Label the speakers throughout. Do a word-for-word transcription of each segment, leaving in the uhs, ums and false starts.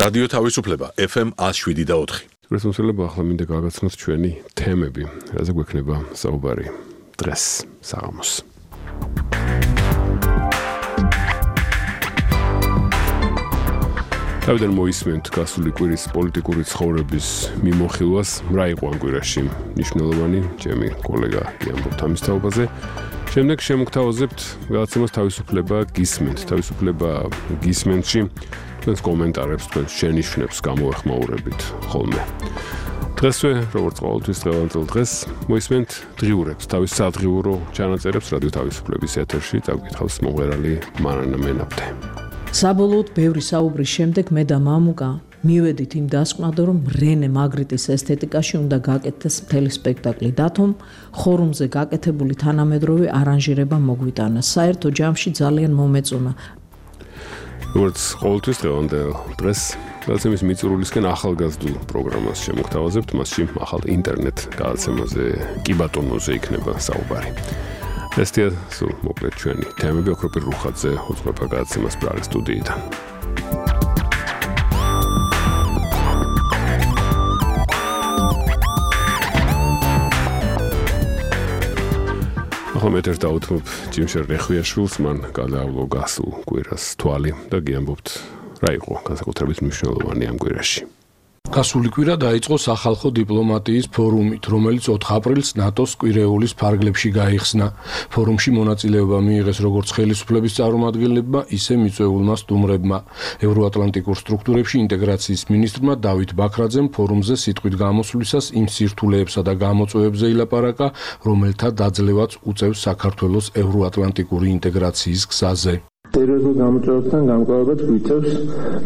Speaker 1: რადიო თავისუფლება F M one oh seven და four.
Speaker 2: რესურსებია ახლა მინდა გავაცნოთ ჩვენი თემები, რაზე გვექნება საუბარი დღეს საღამოს. თავიდან მოისმენთ გასული კვირის პოლიტიკური ცხოვრების მიმოხილვას, რა იყო ამ კვირაში მნიშვნელოვანი, ჩემი კოლეგა გიამბობთ ამის თაობაზე. შემდეგ შემოგთავაზებთ გადაცემას თავისუფლება გისმენთ, თავისუფლება გისმენთში თქვენს კომენტარებს, თქვენს შენიშვნებს გამოვეხმაურებით ხოლმე. დღესვე, როგორც ყოველთვის დღევანდელ დღეს, მოისმენთ დღიურებს, თავის სადღიურო ჩანაწერებს რადიო თავისუფლების ეთერში, წავკითხავს მომღერალი მარანა მენაბდე.
Speaker 3: საბოლოოდ ბევრი საუბრის შემდეგ მე და მამუკა მივედით იმ დასკვნად, რომ რენე მაგრიტის ესთეტიკაში უნდა გაკეთდეს მთელი სპექტაკლი, დათომ ხორუმზე გაკეთებული თანამედროვე არანჟირება მოგვიტანა. საერთო ჯამში ძალიან მომეწონა.
Speaker 2: როგორც ყოველთვის დღევანდელ დღეს გადაცემის მიწურულისკენ ახალგაზრდულ პროგრამას შემოგთავაზებთ, მასში ახალ ინტერნეტ გადაცემაზე კი ბატონოზე იქნება საუბარი. ესეა სულ მოკლედ ჩვენი თემები, ოქროპირ რუხაძე უძღვება გადაცემას პრაღის სტუდიიდან. ახლა მეტერ დაუთმობ ჯიმშერ რეხვიაშვილს, მან გადაავლო გასულ კვირას თვალი და გიამბობთ რა იყო განსაკუთრებით მნიშვნელოვანი ამ კვირაში.
Speaker 4: გასული კვირა დაიწყო სახალხო დიპლომატიის ფორუმით, რომელიც ოთხ აპრილს ნატოს კვირეულის ფარგლებში გაიხსნა. ფორუმში მონაწილეობა მიიღეს როგორც ხელისუფლების წარმომადგენლებმა, ისე მიწვეულმა სტუმრებმა. ევროატლანტიკურ სტრუქტურებში ინტეგრაციის მინისტრმა დავით ბაქრაძემ ფორუმზე სიტყვით გამოსვლისას იმ სირთულეებსა და გამოწვევებზე ილაპარაკა, რომელთა დაძლევაც უწევს საქართველოს ევროატლანტიკური ინტეგრაციის გზაზე.
Speaker 5: სერიოზულ გამოწვევებთან გამკლავებაც გვიწევს,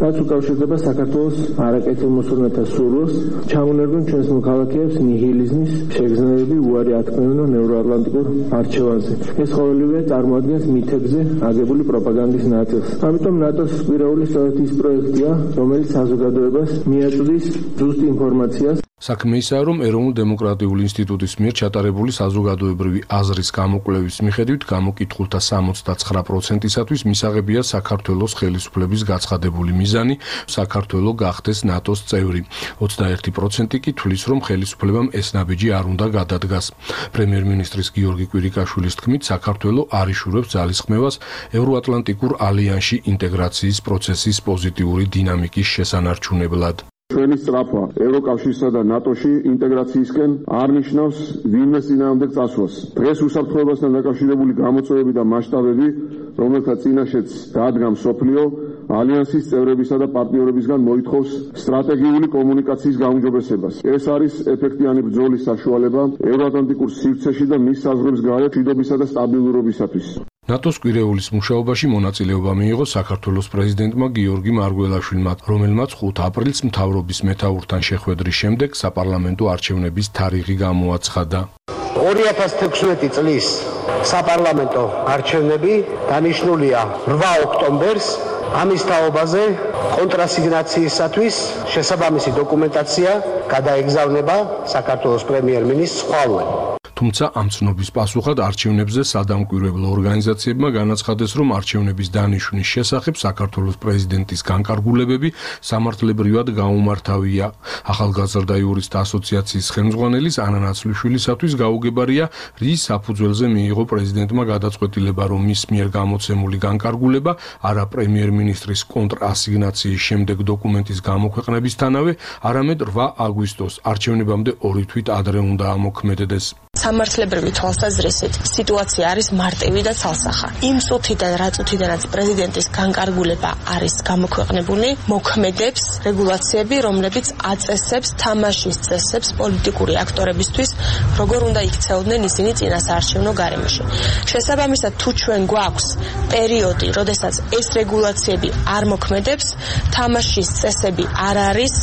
Speaker 5: რაც უკავშირდება საქართველოს არაკეთილმოსურნეთა სურვილს, ჩამონერგონ ჩვენს მოქალაქეებს ნიჰილიზმის შეგრძნებები უარი ათქმევინონ ევროატლანტიკურ არჩევანზე. ეს ყოველივე წარმოადგენს მითებზე აგებული პროპაგანდის ნაწილს. ამიტომ ნატოს კვირეული სწორედ ის პროექტია, რომელიც საზოგადოებას მიაწვდის ზუსტ ინფორმაციას.
Speaker 4: საქმე ისაა, რომ ეროვნულ დემოკრატიული ინსტიტუტის მიერ ჩატარებული საზოგადოებრივი აზრის გამოკვლევის მიხედვით გამოკითხულთა სამოცდათსხრა პროცენტისათვის მისაღებია საქართველოს ხელისუფლების გაცხადებული მიზანი საქართველო გახდეს ნატოს წევრი. ოცდაერთი პროცენტი კი თვლის, რომ ხელისუფლებამ ეს ნაბიჯი არ უნდა გადადგას. პრემიერ-მინისტრის გიორგი კვირიკაშვილის თქმით, საქართველო არ იშურებს ძალისხმევას ევროატლანტიკურ ალიანსში ინტეგრაციის პროცესის პოზიტიური დინამიკის შესანარჩუნებლად.
Speaker 6: ჩვენი სწრაფვა ევროკავშირსა და ნატოში ინტეგრაციისკენ არ ნიშნავს ვინმეს წინააღმდეგ წასვლას. დღეს უსაფრთხოებასთან დაკავშირებული გამოწვევები და მასშტაბები, რომელთა წინაშეც დადგა მსოფლიო, ალიანსის წევრებისა და პარტნიორებისგან მოითხოვს სტრატეგიული კომუნიკაციის გაუმჯობესებას. ეს არის ეფექტიანი ბრძოლის საშუალება ევროატლანტიკურ სივრცეში და მის საზღვრებს გარეთ მშვიდობისა და სტაბილურობისათვის.
Speaker 4: ნატოს კვირეულის მუშაობაში მონაწილეობა მიიღო საქართველოს პრეზიდენტმა გიორგი მარგველაშვილმა, რომელმაც ხუთ აპრილს მთავრობის მეთაურთან შეხვედრის შემდეგ საპარლამენტო არჩევნების თარიღი გამოაცხადა.
Speaker 7: ორი ათას თექვსმეტი წლის საპარლამენტო არჩევნები დანიშნულია რვა ოქტომბერს. ამის თაობაზე კონტრასიგნაციისათვის შესაბამისი დოკუმენტაცია გადაეგზავნება საქართველოს პრემიერ-მინისტრს ხვალვე.
Speaker 4: თუმცა ამ ცნობის პასუხად არჩევნებზე სადამკვირვებლო ორგანიზაციებმა განაცხადეს, რომ არჩევნების დანიშვნის შესახებ საქართველოს პრეზიდენტის განკარგულებები სამართლებრივად გაუმართავია. ახალგაზრდა იურისტთა ასოციაციის ხელმძღვანელის ანა ნაცვლიშვილისათვის გაუგებარია, რის საფუძველზე მიიღო პრეზიდენტმა გადაწყვეტილება, რომ მის მიერ გამოცემული განკარგულება არა პრემიერ-მინისტრის კონტრასიგნაციის შემდეგ დოკუმენტის გამოქვეყნებისთანავე, არამედ რვა აგვისტოს არჩევნებამდე ორი თვით ადრე უნდა ამოქმედდეს.
Speaker 8: სამართლებრივი თვალსაზრისით სიტუაცია არის მარტივი და ცალსახა. იმ წუთიდან, რა წუთიდანაც პრეზიდენტის განკარგულება არის გამოქვეყნებული, მოქმედებს რეგულაციები, რომლებიც აწესებს თამაშის წესებს პოლიტიკური აქტორებისთვის, როგორ უნდა იქცეოდნენ ისინი წინასაარჩევნო გარემოში. შესაბამისად, თუ ჩვენ გვაქვს პერიოდი, როდესაც ეს რეგულაციები არ მოქმედებს, თამაშის წესები არ არის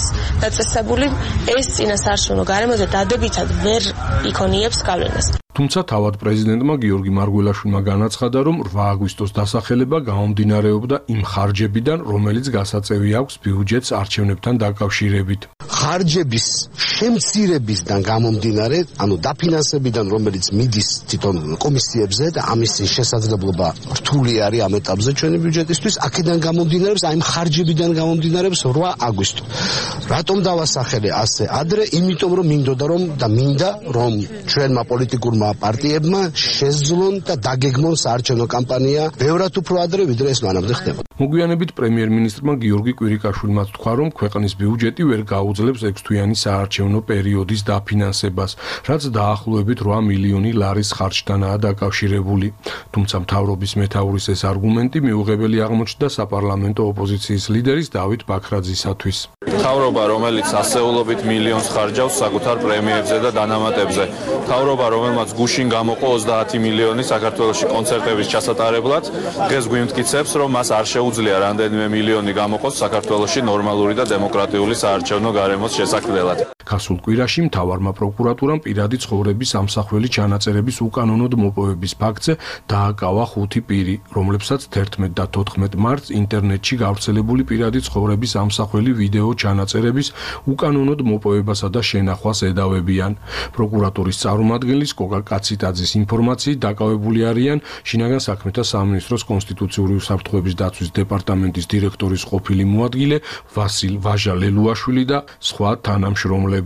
Speaker 8: დაწესებული, ეს წინასაარჩევნო გარემოზე დადებითად ვერ იქონიებს გავლენას.
Speaker 4: თუმცა თავად პრეზიდენტმა გიორგი მარგველაშვილმა განაცხადა, რომ რვა აგვისტოს დასახელება გამომდინარეობდა იმ ხარჯებიდან, რომელიც გასაწევი აქვს ბიუჯეტს არჩევნებთან დაკავშირებით.
Speaker 7: ხარჯების შემცირებისგან გამომდინარე, ანუ დაფინანსებიდან, რომელიც მიდის თვითონ კომისიებზე და ამის შესაძლებლობა რთული არის ამ ეტაპზე ჩვენი ბიუჯეტისთვის, აქედან გამომდინარეობს, აი ხარჯებიდან გამომდინარეობს რვა აგვისტო. რატომ დავასახელე ასე ადრე? იმიტომ რომ მინდოდა რომ და მინდა რომ ჩვენმა პოლიტიკურმა პარტიებმა შეძლონ და დაგეგმონ საარჩევნო კამპანია ბევრად უფრო ადრე, ვიდრე ეს მანამდე ხდება.
Speaker 4: მოგვიანებით პრემიერ-მინისტრმა გიორგი კვირიკაშვილმა თქვა, რომ ქვეყნის ბიუჯეტი ვერ გაუძლებს ექვსთვიანი საარჩევნო პერიოდის დაფინანსებას, რაც დაახლოებით რვა მილიონი ლარის ხარჯთანაა დაკავშირებული. თუმცა მთავრობის მეთაურის ეს არგუმენტი მიუღებელი აღმოჩნდა საპარლამენტო ოპოზიციის ლიდერის დავით ბაქრაძისათვის.
Speaker 9: მთავრობა, რომელიც ასეულობით მილიონს ხარჯავს საკუთარ პრემიერებზე და დანამატებზე, მთავრობა, რომელმაც გუშინ გამოყო ოცდაათი მილიონი საქართველოში კონცერტების ჩასატარებლად, დღეს გვიმტკიცებს, რომ მას არ შეუძლია რამდენიმე მილიონი გამოყოს საქართველოში ნორმალური და დემოკრატიული საარჩევნო გარემოს შესაქმნელად.
Speaker 4: გასულ კვირაში მთავარმა პროკურატურამ პირადი ცხოვრების ამსახველი ჩანაწერების უკანონოდ მოპოვების ფაქტზე დააკავა ხუთი პირი, რომლებსაც თერთმეტ და თოთხმეტ მარტს ინტერნეტში გავრცელებული პირადი ცხოვრების ამსახველი ვიდეო ჩანაწერების უკანონოდ მოპოვებასა და შენახვას ედავებიან. პროკურატურის წარმომადგენლის კოკა კაციტაძის ინფორმაციით დაკავებული არიან შინაგან საქმეთა სამინისტროს კონსტიტუციური უსაფრთხოების დაცვის დეპარტამენტის დირექტორის ყოფილი მოადგილე ვასილ ვაჟა-ლელუაშვილი და სხვა თანამშრომლები.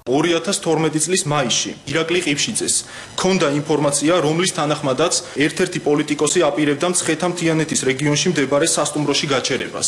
Speaker 10: ორი ათას თორმეტი წლის მაისში ირაკლი ყიფშიძეს ჰქონდა ინფორმაცია, რომლის თანახმადაც ერთ-ერთი პოლიტიკოსი აპირებდა მცხეთა-მთიანეთის რეგიონში მდებარე სასტუმროში გაჩერებას.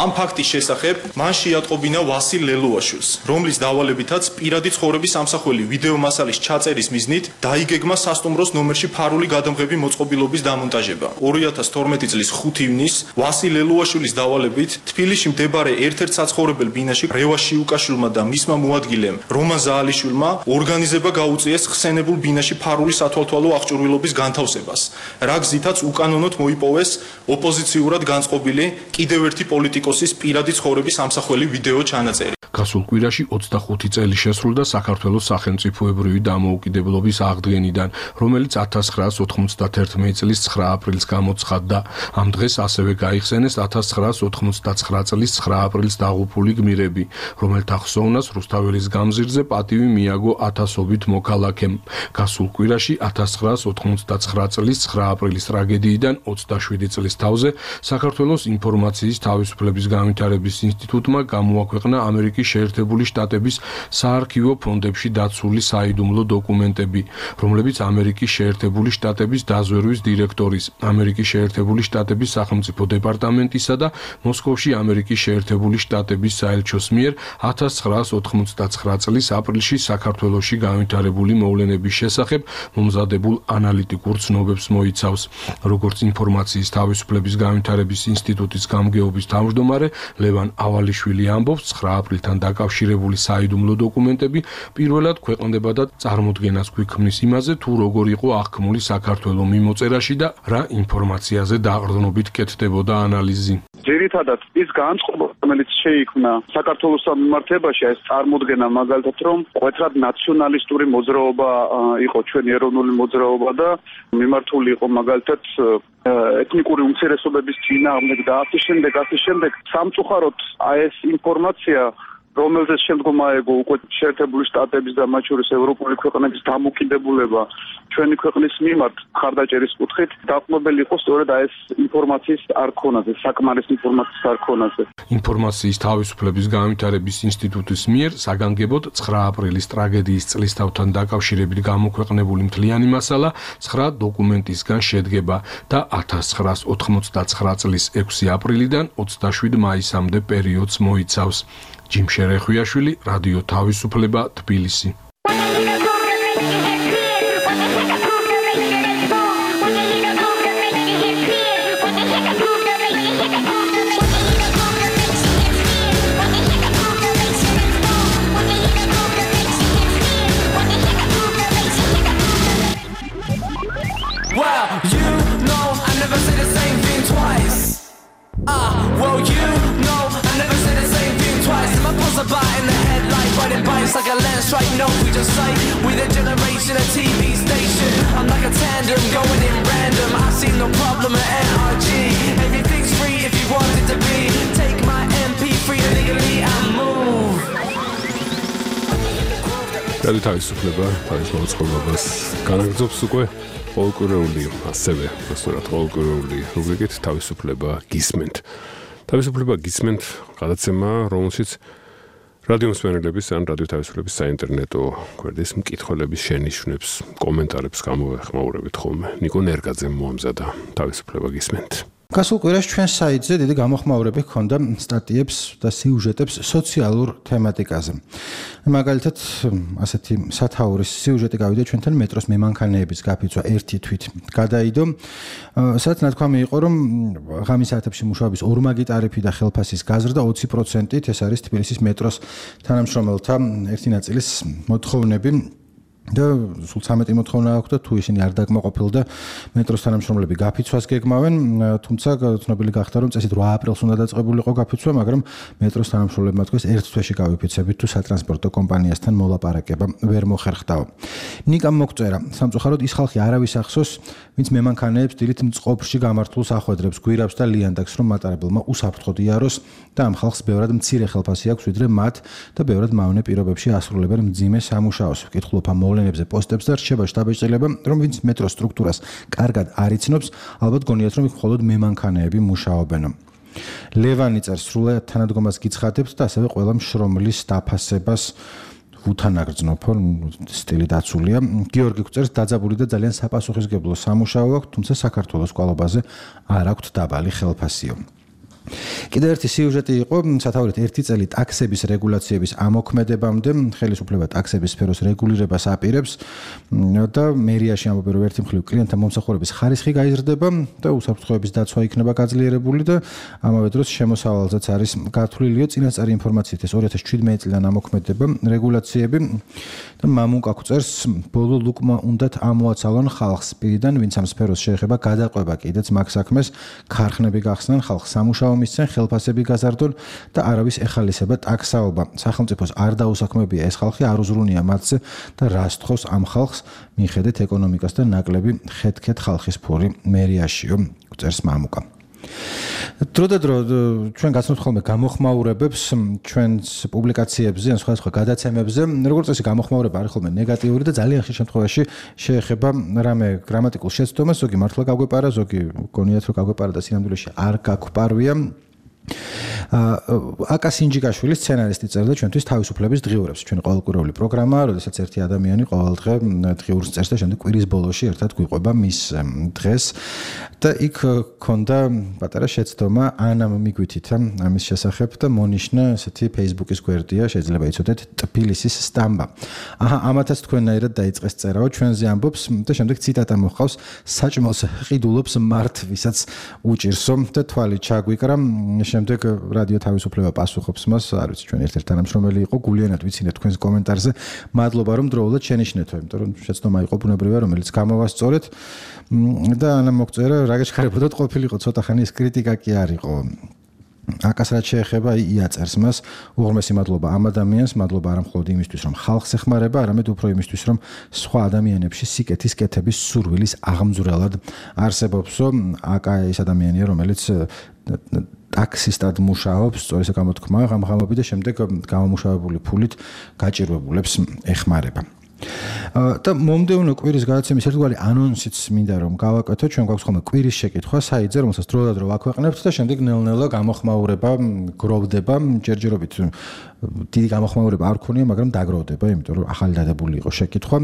Speaker 10: ამ ფაქტის შესახებ მან შეატყობინა ვასილ ლელუაშვილს, რომლის დავალებითაც პირადი ცხოვრების ამსახველი ვიდეო მასალის ჩაწერის მიზნით დაიგეგმა სასტუმროს ნომერში ფარული გადამღები მოწყობილობის დამონტაჟება. ორი ათას თორმეტი წლის ხუთი ივნისს ვასილ ლელუაშვილის დავალებით თბილისში მდებარე ერთ-ერთ საცხოვრებელ ბინაში რევას შიუკაშვილმა და მისმა მოადგილემ რომან ზაალიშვილმა ორგანიზება გაუწიეს ხსენებულ ბინაში ფარული სათვალთვალო აღჭურვილობის განთავსებას, რა გზითაც უკანონოდ მოიპოვეს ოპოზიციურად განწყობილი კიდევ ერთი პოლიტიკოსის პირადი ცხოვრების ამსახველი ვიდეო ჩანაწერი.
Speaker 4: გასულ კვირაში ოცდახუთი წელი შესრულდა საქართველოს სახელმწიფოებრივი დამოუკიდებლობის აღდგენიდან, რომელიც ათას ცხრაას ოთხმოცდათერთმეტი წლის ცხრა აპრილს გამოცხადდა. ამ დღეს ასევე გაიხსენეს ათას ცხრაას ოთხმოცდაცხრა წლის ცხრა აპრილს დაღუპული გმირები, რომელთა ხსოვნას რუსთაველის გამზირზე პატივი მიაგო ათასობით მოქალაქემ. გასულ კვირაში ათას ცხრაას ოთხმოცდაცხრა წლის ცხრა აპრილის ტრაგედიიდან ოცდაშვიდი წლის თავზე საქართველოს ინფორმაციის თავისუფლების განვითარების ინსტიტუტმა გამოაქვეყნა ამერიკის შეერთებული შტატების საარქივო ფონდებში დაცული საიდუმლო დოკუმენტები, რომლებიც ამერიკის შეერთებული შტატების დაზვერვის დირექტორის, ამერიკის შეერთებული შტატების სახელმწიფო დეპარტამენტისა და მოსკოვში ამერიკის შეერთებული შტატების საელჩოს მიერ ათას ცხრაას ოთხმოცდაცხრა წლის აპრილში საქართველოში განვითარებული მოვლენების შესახებ მომზადებულ ანალიტიკურ ცნობებს მოიცავს. როგორც ინფორმაციის თავისუფლების განვითარების ინსტიტუტის გამგეობის თავმჯდომარე ლევან ავალიშვილი ამბობს, ცხრა აპრილთან დაკავშირებული საიდუმლო დოკუმენტები პირველად ქვეყნდება და წარმოდგენას გვიქმნის იმაზე, თუ როგორ იყო აღქმული საქართველო მიმოწერაში და რა ინფორმაციაზე დაყრდნობით კეთდებოდა ანალიზი.
Speaker 11: ძირითადად ის განწყობა, რომელიც შეიქმნა საქართველოს მიმართებაში, ეს წარმოდგენა მაგალითად, რომ კვეთრად ნაციონალისტური მოძრაობა იყო ჩვენი ეროვნული მოძრაობა და მიმართული იყო მაგალითად ეთნიკური უმცირესობების წინააღმდეგ და ასე შემდეგ, ასე შემდეგ. სამწუხაროდ აი ეს ინფორმაცია, რომელზეც შემდგომ აეგო უკვე შეერთებული შტატების და მათ შორის ევროპული ქვეყნების დამოკიდებულება ჩვენი ქვეყნის მიმართ ხარდაჭერის კუთხით, დაყრდნობელი იყო სწორედ აი ეს ინფორმაციის არქონაზე, საკმარის ინფორმაციის არქონაზე.
Speaker 4: ინფორმაციის თავისუფლების განვითარების ინსტიტუტის მიერ საგანგებოდ ცხრა აპრილის ტრაგედიის წლისთავთან დაკავშირებით გამოქვეყნებული მთლიანი მასალა ცხრა დოკუმენტისგან შედგება და ათას ცხრაას ოთხმოცდაცხრა წლის ექვსი აპრილიდან ოცდაშვიდი მაისამდე პერიოდს მოიცავს. ჯიმ შერეხვიაშვილი, რადიო თავისუფლება, თბილისი.
Speaker 12: Well, you know I never say the same thing twice. Ah, well, you know I never say the same thing twice. And my pulse about in the headlight, riding bikes like a land strike. No, we just say we the generation, a T V station. I'm like a tandem going in random. I see no problem at N R G. Everything's free if you want it to be. Take my M P three illegally and move.
Speaker 2: რადიო თავისუფლება თავის მოწყობილობას განაგრძობს უკვე ყოველკვირეული, ასევე უბრალოდ ყოველკვირეული რუბრიკით თავისუფლება გისმენთ. თავისუფლება გისმენთ გადაცემა, რომელშიც რადიო მსმენელების ან რადიო თავისუფლების საინტერნეტო გვერდის მკითხველების შენიშვნებს, კომენტარებს გამოვეხმაურებით ხოლმე. ნიკო ნერგაძემ მოამზადა თავისუფლება გისმენთ.
Speaker 13: გასულ კვირაში ჩვენ საიტზე დიდი გამოხმაურები ჰქონდა სტატიებს და სიუჟეტებს სოციალურ თემატიკაზე. მაგალითად, ასეთი სათაურის სიუჟეტი გავიდა ჩვენთან მეტროს მემანქანეების გაფიცვა ერთი თვით გადაიდო. სადაც ნათქვამი იყო, რომ ღამის საათებში მუშაობის ორმაგი ტარიფი და ხელფასის გაზრდა ოცი პროცენტით, ეს არის თბილისის მეტროს თანამშრომელთა ერთი ნაწილის მოთხოვნები. და სულ ცამეტი მოთხოვნა აქვს და თუ ისინი არ დაკმაყოფილდა მეტროს თანამშრომლები გაფიცვას გეგმავენ, თუმცა ცნობილი გახდა რომ წესით რვა აპრილს უნდა დაწყებულიყო გაფიცვა, მაგრამ მეტროს თანამშრომლებმა თქვეს ერთ თვეში გავიფიცებით თუ სატრანსპორტო კომპანიასთან მოლაპარაკება ვერ მოხერხდაო. ნიკამ მოგწერა, სამწუხაროდ ის ხალხი არავის ახსოვს, ვინც მემანქანეებს დილით მწყობრში გამართულს ახვედრებს, გვირაბს და ლიანდაგს, რომ მატარებელმა უსაფრთხოდ იაროს და ამ ხალხს ბევრად მცირე ხელფასი აქვს ვიდრე მათ და ბევრად მავნე პირობებში ასრულებენ მძიმე სამუშაოს. ვკითხულობ ამ მოვლენებზე პოსტებს და რჩება შტაბეჭდილება, რომ ვინც მეტროს სტრუქტურას კარგად არ იცნობს, ალბათ გონიათ, რომ იქ მხოლოდ მემანქანეები მუშაობენ. ლევანი წერს, სრულად თანადგომას გიცხადებთ და ასევე ყველა მშრომლის დაფასებას ვუთანაგრძნობ, სტილი დაცულია. გიორგი გვწერს, დაძაბული და ძალიან საპასუხისმგებლო სამუშაო აქვს, თუმცა საქართველოს კვალობაზე არ აქვს დაბალი ხელფასიო. კიდევ ერთი სიუჟეტი იყო სათაურით ერთი წელი ტაქსების რეგულაციების ამოქმედებამდე, ხელისუფლება ტაქსების სფეროს რეგულირებას აპირებს და მერიაში ამბობენ, რომ ერთი მხრივ კლიენტთა მომსახურების ხარისხი გაიზრდება და უსაფრთხოების დაცვა იქნება გაძლიერებული და ამავე დროს შემოსავალზეც არის გათვლილიო. წინასწარი ინფორმაციით ეს ორი ათას შვიდმეტი წლიდან ამოქმედება რეგულაციები და მამუკა გვწერს, ბოლო ლუკმა უნდათ ამოაცალონ ხალხს პირიდან, ვინც ამ სფეროს შეეხება გადაყვება კიდეც მაგ საქმეს, ქარხნები გახსნან, ხალხს სამუშაო მისცენ, ხელფასები გაზარდონ და არავის ეხალისება ტაქსაობა. სახელმწიფოს არ დაუსაქმებია ეს ხალხი, არ უზრუნია მათზე და რას თხოვს ამ ხალხს, მიხედეთ ეკონომიკას და ნაკლები ხეთქეთ ხალხის ფური მერიაშიო, წერს მამუკა. დრო და დრო ჩვენ გაცნობთ ხოლმე გამოხმაურებებს ჩვენს პუბლიკაციებზე ან სხვადასხვა გადაცემებზე. როგორც წესი გამოხმაურება არის ხოლმე ნეგატიური და ძალიან ხშირ შემთხვევაში შეეხება რამე გრამატიკულ შეცდომას, ზოგი მართლა გაგვეპარა, ზოგი გონიათ რომ გაგვეპარა და სინამდვილეში არ გაგვპარვია. აკა სინჯიკაშვილი სცენარისტი წერდა ჩვენთვის თავისუფლების დღიურებს. ჩვენი ყოველკვირეული პროგრამა, როდესაც ერთი ადამიანი ყოველდღე დღიურს წერს და შემდეგ კვირის ბოლოში ერთად გვიყვება მის დღეს და იქ ქონდა პატარა შეცდომა ანამ მიგვითითა ამის შესახებ და მონიშნა ესეთი Facebook-ის გვერდია, შეიძლება იცოდეთ ტფილისის სტამბა. აჰა, ამათაც თქვენაირად დაიწყეს წერაო, ჩვენზე ამბობს და შემდეგ ციტატა მოხავს, საჭმელს ყიდულობს მართ, ვისაც უჭირსო და თვალი ჩაგვიკრა. შემდეგ რადიო თავისუფლება პასუხობს მას, არ ვიცი, ჩვენ ერთ-ერთი თანამშრომელი იყო, გულიანად ვიცინეთ თქვენს კომენტარზე. მადლობა რომ დროულად შენიშნეთო, იმიტომ რომ შეცდომა იყო ბუნებრივია, რომელიც გამოვასწორეთ და ანა მოგწერა, რა გეჩქარებოდათ ყოფილიყო ცოტა ხანი ეს კრიტიკა კი არ იყო. აკას რაც შეეხება იაწერს მას, უღრმესი მადლობა ამ ადამიანს, მადლობა არა მხოლოდ იმისთვის, რომ ხალხს ეხმარება, არამედ უფრო იმისთვის, რომ სხვა ადამიანებში სიკეთის კეთების სურვილის აღმძვრელად არსებობსო. აკა ის ადამიანია, რომელიც ტაქსისტად მუშაობს, სწორი გამოთქმა, ღამღამობი და შემდეგ გამომუშავებული ფულით გაჭირვებულებს ეხმარება. და მომდევნო კვირის გადაცემის ერთგვარი ანონსიც მინდა რომ გავაკეთო, ჩვენ გვაქვს ხოლმე კვირის შეკითხვა საიტზე, რომელსაც დროდადრო ვაქვეყნებთ და შემდეგ ნელ-ნელა გამოხმაურება გროვდება, ჯერჯერობით დიდი გამოხმაურება არ ქონია, მაგრამ დაგროვდება, იმიტომ რომ ახალი დადებული იყო შეკითხვა.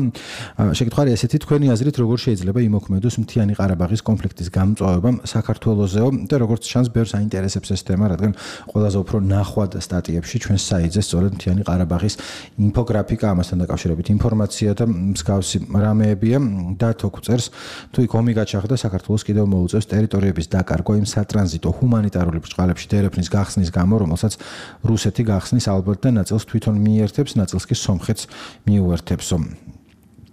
Speaker 13: შეკითხვა არის ესეთი, თქვენი აზრით როგორ შეიძლება იმოქმედოს მთიანი ყარაბაღის კონფლიქტის გამწვავება საქართველოსეო და როგორც ჩანს ბევრს აინტერესებს ეს თემა, რადგან ყველაზე უფრო ნახვად სტატიებში ჩვენ საიტზე სწორედ მთიანი ყარაბაღის ინფოგრაფიკა, ამასთან დაკავშირებით ინფორმაცია და მსგავსი რამეებია და თო გვწერს, თუ იქ ომი გაჩაღდა, საქართველოს კიდევ მოუწევს ტერიტორიების დაკარგვა იმ სატრანზიტო ჰუმანიტარული ბრჭყალებში დერეფნის გახსნის გამო, რომელსაც რუსეთი გახსნის ალბათ და ნაწილს თვითონ მიერთებს, ნაწილს კი სომხეთს მიუერთებსო.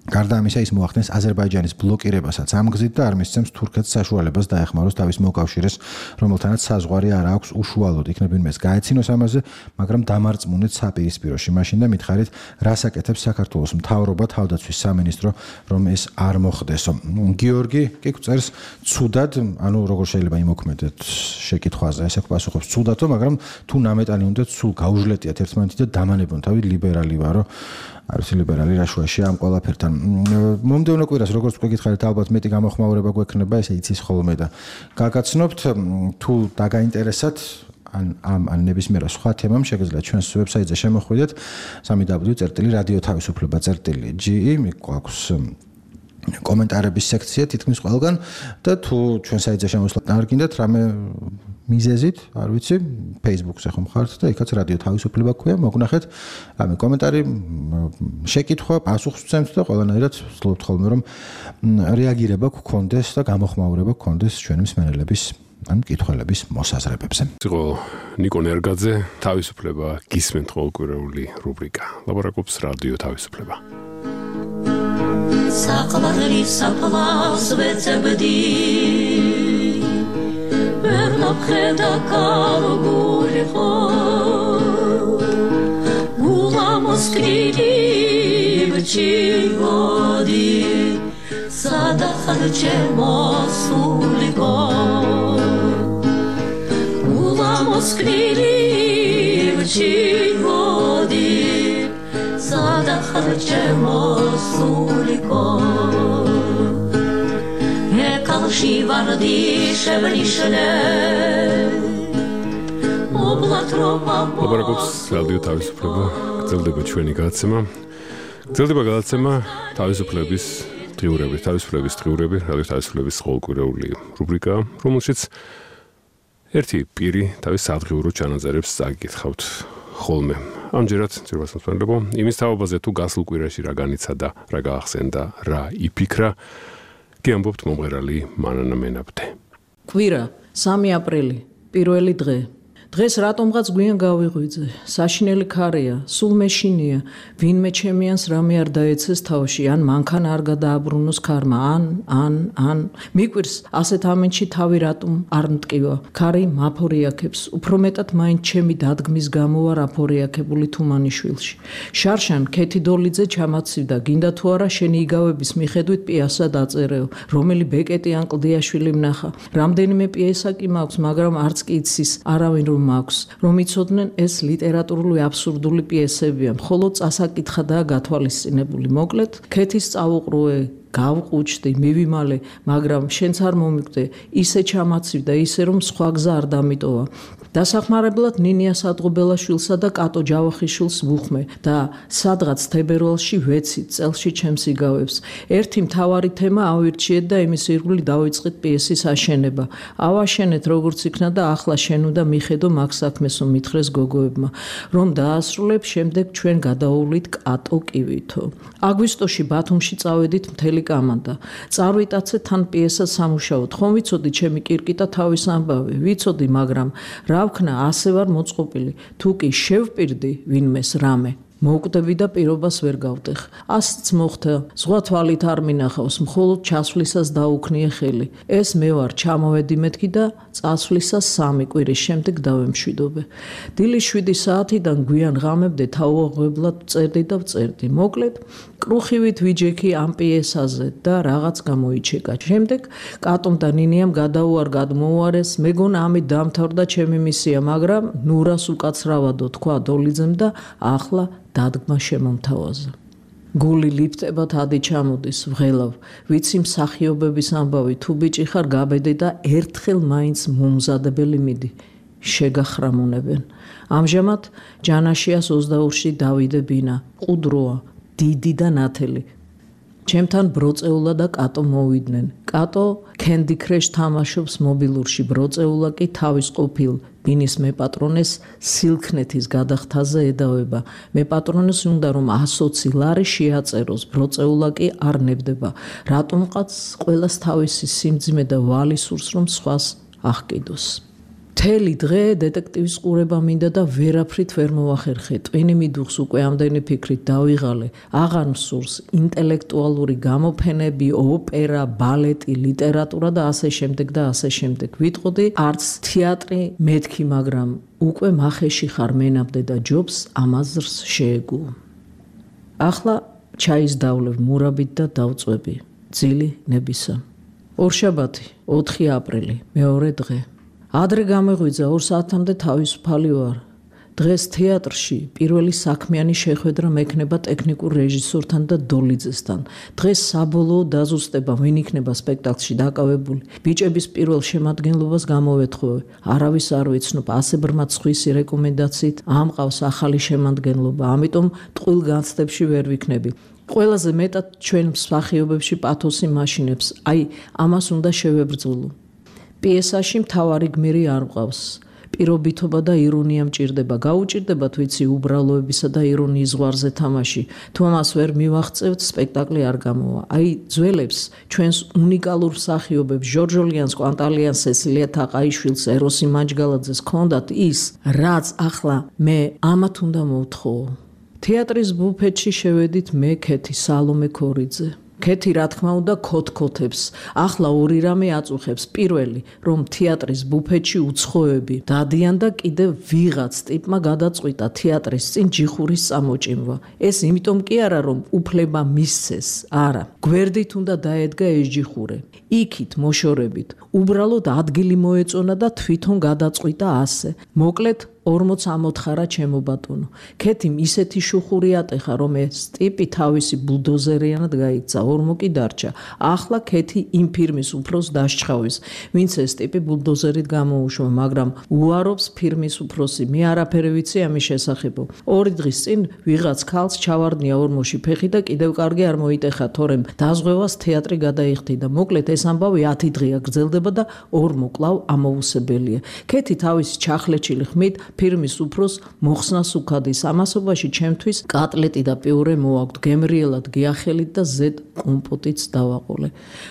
Speaker 13: გარდა ამისა, ის მოახდენს აზერბაიჯანის ბლოკირებასაც ამ გზით და არ მისცემს თურქეთს საშუალებას დაეხმაროს თავის მოკავშირეს, რომელთანაც საზღვარი არ აქვს უშუალოდ. იქნებინ მას გაეცინოს ამაზე, მაგრამ დამარწმუნეთ საპირისპიროში. მაშინ და მითხარით, რას აკეთებს საქართველოს მთავრობა, თავდაცვის სამინისტრო, რომ ეს არ მოხდესო. გიორგი კი გვწერს, ცუდად, ანუ როგორ შეიძლება იმოქმედეთ შეკითხვაზე, ესე პასუხობს ცუდათო, მაგრამ თუ ნამეტანი უნდა სულ გაუჟლეტიათ ერთმანეთი და დამანებონ თავი ლიბერალი ვარო. არ ვიცი ლიბერალი რა შუაშია ამ ყველაფერთან. მომდევნო კვირას როგორც თქვი გითხარით ალბათ მეტი გამოხმაურება გვექნება, ესე იცის ხოლმე და გაგაცნობთ თუ დაგაინტერესათ ან ამ ან ნებისმიერ სხვა თემამ შეგიძლიათ ჩვენს ვებსაიტზე შემოხვიდეთ სამი დაბლიუ წერტილი რადიო თავისუფლება წერტილი ჯი გვაქვს კომენტარების სექცია თითქმის ყველგან და თუ ჩვენ საიტზე შემოსვლა არ გინდათ რამე მიზეზით, არ ვიცი, Facebook-ზე ხომ ხართ და იქაც რადიო თავისუფლება ქვია, მოგნახეთ რამე კომენტარი, შეკითხვა, პასუხს ვცემთ და ყველანაირად ვცდილობთ ხოლმე რომ რეაგირება გქონდეს და გამოხმაურება გქონდეს ჩვენი მსმენელების ან მკითხველების მოსაზრებებზე.
Speaker 2: იყო ნიკო ნერგაძე, თავისუფლება გისმენთ ყოველკვირეული რუბრიკა. ლაპარაკობს რადიო თავისუფლება.
Speaker 14: საყვარელი საფლავს ვეცებდი ვერ ნაფხედა კარგული ხო გულა მოსკრილი ბჩიგოდი სადახარ ჩემოსულიკო გულა მოსკრილი ბჩიგოდი სადახარ ჩემოსულიკო ეკალში ვარდი შევლიშნე
Speaker 2: ლაპარაკობს რადიო თავისუფლება, გრძელდება ჩვენი გადაცემა. გრძელდება გადაცემა თავისუფლების დღიურები, თავისუფლების დღიურები, რადიო თავისუფლების ყოველკვირეული რუბრიკა, რომელშიც ერთი პირი თავის სადღიურო ჩანაწერებს წაგიკითხავთ ხოლმე. ამჯერად ძირფას მოსმენლებო, იმის თაობაზე თუ გასულ კვირაში რა განიცადა, რა გაახსენდა, რა იფიქრა, გიამბობთ მომღერალი მანანა მენაბდე.
Speaker 3: კვირა, სამი აპრილი, პირველი დღე. დღეს რატომღაც გვიან გავიღვიძე, საშინელი ქარია, სულ მეშინია, ვინმე ჩემიანს რამე არ დაეცეს თავში, ან მანქან არ გადააბრუნოს ქარმა, ან, ან, ან. მიკვირს, ასეთ ამენში თავი რატომ არ მტკივა, ქარი მაფორიაქებს, უფრო მეტად მაინც ჩემი დადგმის გამო ვარ აფორიაქებული თუმანიშვილში. შარშან ქეთი დოლიძე ჩამაცივდა, გინდა თუ არა შენი იგავების მიხედვით პიესა დაწერეო, რომელი ბეკეტი ან კლდიაშვილი მნახა. რამდენიმე პიესა კი მაქვს, მაგრამ არც კი იცის არავინ რომ მაქვს, რომ იცოდნენ ეს ლიტერატურული აბსურდული პიესებია, მხოლოდ წასაკითხადაა გათვალისწინებული. მოკლედ, ქეთის წავუყრუე, გავყუჩდი, მივიმალე, მაგრამ შენც არ მომიკვდე, ისე ჩამაცივდა, ისე რომ სხვა გზა არ დამიტოვა. დასახმარებლად ნინია სადღობელაშვილსა და კატო ჯავახიშვილს ვუხმე და სადღაც თებერვალში ვეცით წელში ჩემს იგავებს. ერთი მთავარი თემა ავირჩიეთ და იმის ირგვლივ დავიწყეთ პიესის აშენება. ავაშენეთ როგორც იქნა და ახლა შენ უნდა მიხედო მაგ საქმესო მითხრეს გოგოებმა, რომ დაასრულებ, შემდეგ ჩვენ გადაუვლით კატო კივითო. აგვისტოში ბათუმში წავედით მთელი კამანდა. წარვიტაცეთ თან პიესას სამუშაოდ. ხომ ვიცოდი ჩემი კირკიტა თავის ამბავი, ვიცოდი, მაგრამ რა ვქნა, ასე ვარ მოწყობილი. თუ კი შევპირდი ვინმეს რამე, მოვკვდები და პირობას ვერ გავტეხ. ასიც მოხდა, სხვა თვალით არ მინახავს, მხოლოდ ჩასვლისას დაუქნიე ხელი. ეს მე ვარ, ჩამოვედი მეთქი და წასვლისას სამი კვირის შემდეგ დავემშვიდობე. დილის შვიდი საათიდან გვიან ღამებდე თავუაღებლად წერდი და ვწერდი. მოკლედ, კრუხივით ვიჯექი ამ პიესაზე და რაღაც გამოიჩეკა. შემდეგ კატომ და ნინიამ გადაუარ გადმოუარეს, მეგონა ამით დამთავრდა ჩემი მისია, მაგრამ ნურას უკაცრავადო თქვა დოლიძემ და ახლა დადგმა შემომთავაზა. გული ლიფტებად ადი ჩამოდის, ვღელავ, ვიცი მსახიობების ამბავი, თუ ბიჭი ხარ გაბედე და ერთხელ მაინც მომზადებელი მიდი, შეგახრამუნებენ. ამჟამად ჯანაშიას ოცდაორში დავიდე ბინა, ყუდროა, დიდი და ნათელი. ჩემთან ბროწეულა და კატო მოვიდნენ. კატო Candy Crush თამაშობს მობილურში, ბროწეულა კი თავის ყოფილ ბინის მეპატრონეს სილქნეთის გადახთაზე ედავება. მეპატრონეს უნდა რომ ასოცი ლარი შეაწეროს, ბროწეულა კი არ ნებდება. რატომღაც ყველას თავისი სიმძიმე და ვალი სურს რომ სხვას აღკიდოს. მთელი დღე დეტექტივის ყურება მინდა და ვერაფრით ვერ მოვახერხე. ტვინი მიდუხს უკვე ამდენი ფიქრით დავიღალე. აღარ მსურს ინტელექტუალური გამოფენები, ოპერა, ბალეტი, ლიტერატურა და ასე შემდეგ და ასე შემდეგ. ვიტყოდი, არც თეატრი მეთქი, მაგრამ უკვე მახეში ხარ მენაბდე და ჯობს ამაზრს შეეგო. ახლა ჩაის დავლევ მურაბით და დავწვევი. ძილი ნებისა. ორშაბათი, ოთხი აპრილი, მეორე დღე. ადრე გამეღვიძა ორ საათამდე თავისუფალი ვარ. დღეს თეატრში პირველი საქმიანი შეხვედრა მექნება ტექნიკურ რეჟისორთან და დოლიძესთან. დღეს საბოლოო დაზუსტება ვინ იქნება სპექტაკლში დაკავებული. ბიჭების პირველ შემადგენლობას გამოვეთხოვე. არავის არ ვიცნობ, ასე ბრმა ცხვისი რეკომენდაციით ამყავს ახალი შემადგენლობა, ამიტომ ტყუილ განცდებში ვერ ვიქნები. ყველაზე მეტად ჩვენ მსახიობებში პათოსი მაშინებს, აი ამას უნდა შევებრძოლო. პიესაში მთავარი გმირი არ მყავს. პირობითობა და ირონია მჭირდება. გაუჭირდებათ ვიცი უბრალოებისა და ირონიის ზღვარზე თამაში. თუ ამას ვერ მივაღწევთ, სპექტაკლი არ გამოვა. აი ძველებს, ჩვენს უნიკალურ მსახიობებს, ჟორჟოლიანს, კვანტალიანს, სესილია თაყაიშვილს, ეროსი მაჯგალაძეს ჰქონდათ ის, რაც ახლა მე ამათ უნდა მოვთხოვო. თეატრის ბუფეტში შევედით მე, ქეთი, სალომე ქორიძე. ქეთი რა თქმა უნდა ქოთქოთებს. ახლა ორი რამე აწუხებს. პირველი, რომ თეატრის ბუფეტში უცხოები დადიან და კიდევ ვიღაც ტიპმა გადაწყვიტა თეატრის წინ ჯიხურის წამოჭიმვა. ეს იმიტომ კი არა, რომ უფლება მისცეს, არა. გვერდით უნდა დაედგა ეს ჯიხურე. იქით მოშორებით. უბრალოდ ადგილი მოეწონა და თვითონ გადაწყვიტა ასე. მოკლედ ორმოც ამოთხარა ჩემო ბატონო. ქეთიმ ისეთი შუხური ატეხა, რომ ეს ტიპი თავისი ბულდოზერიანად გაიქცა, ორმო კი დარჩა. ახლა ქეთი იმ ფირმის უფროს დასჩხავის, ვინც ეს ტიპი ბულდოზერით გამოუშვა, მაგრამ უარობს ფირმის უფროსი. მე არაფერი ვიცი ამის შესახებ. ორი დღის წინ ვიღაც ქალს ჩავარდნია ორმოში ფეხი და კიდევ კარგი არ მოიტეხა, თორემ დაზღვევას თეატრი გადაიხდიდა. მოკლედ ეს ამბავი ათი დღეა გრძელდება და ორმო კვლავ ამოუსებელია. ქეთი თავისი ჩახლეჩილი ხმით ფირმის უფროს მოხსნას უქადის. ამასობაში ჩემთვის კატლეტი და პიურე მოაქვთ, გემრიელად გიახელით და ზედ კომპოტიც დავაყოლე.